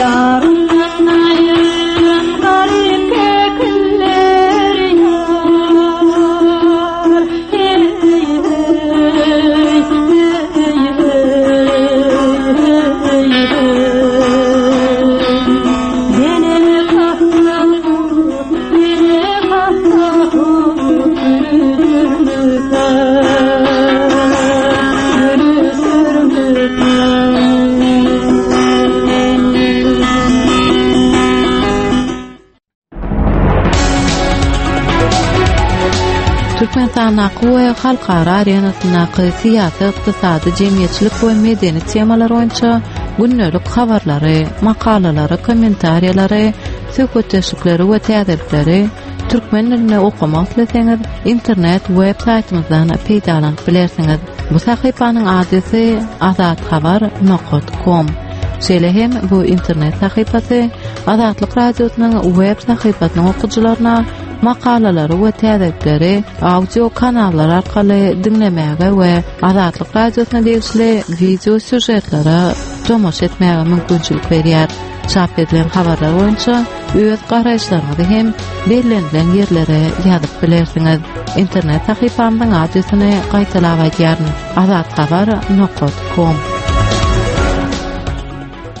Ýaryndan aýrylan garyp kekiller ýar. Heý, heý, heý, heý, heý. Mene hassa mene hassa gülüşürmükä, gülüşürmükä. Türkmenistandaky we halkara arenasyndaky syýasy, ykdysady, jemgyýetçilik we medeni temalar boýunça gündelik habarlary, makalalary, kommentariýalary, söhbetdeşlikleri we täzelikleri türkmen dilinde okamak isleseňiz, internet web saýtymyzdan peýdalanyp bilersiňiz. Bu sahypanyň adresi azathabar nokat kom. Şeýle hem bu internet sahypasy Azatlyk Radiosynyň web sahypasynyň okyjylaryna makalalary we täzelikleri audio kanallar arkaly diňlemäge we Azatlyk Radiosyna degişli wideo sýužetlere tomaşa etmäge mümkinçilik berýär. Çap edilen habarlar boýunça öz garaýyşlaryňyzy hem bellenilen ýerlere ýazyp bilersiňiz. Internet sahypamyzyň adresini gaýtalap aýdýaryn, azathabar nokat kom.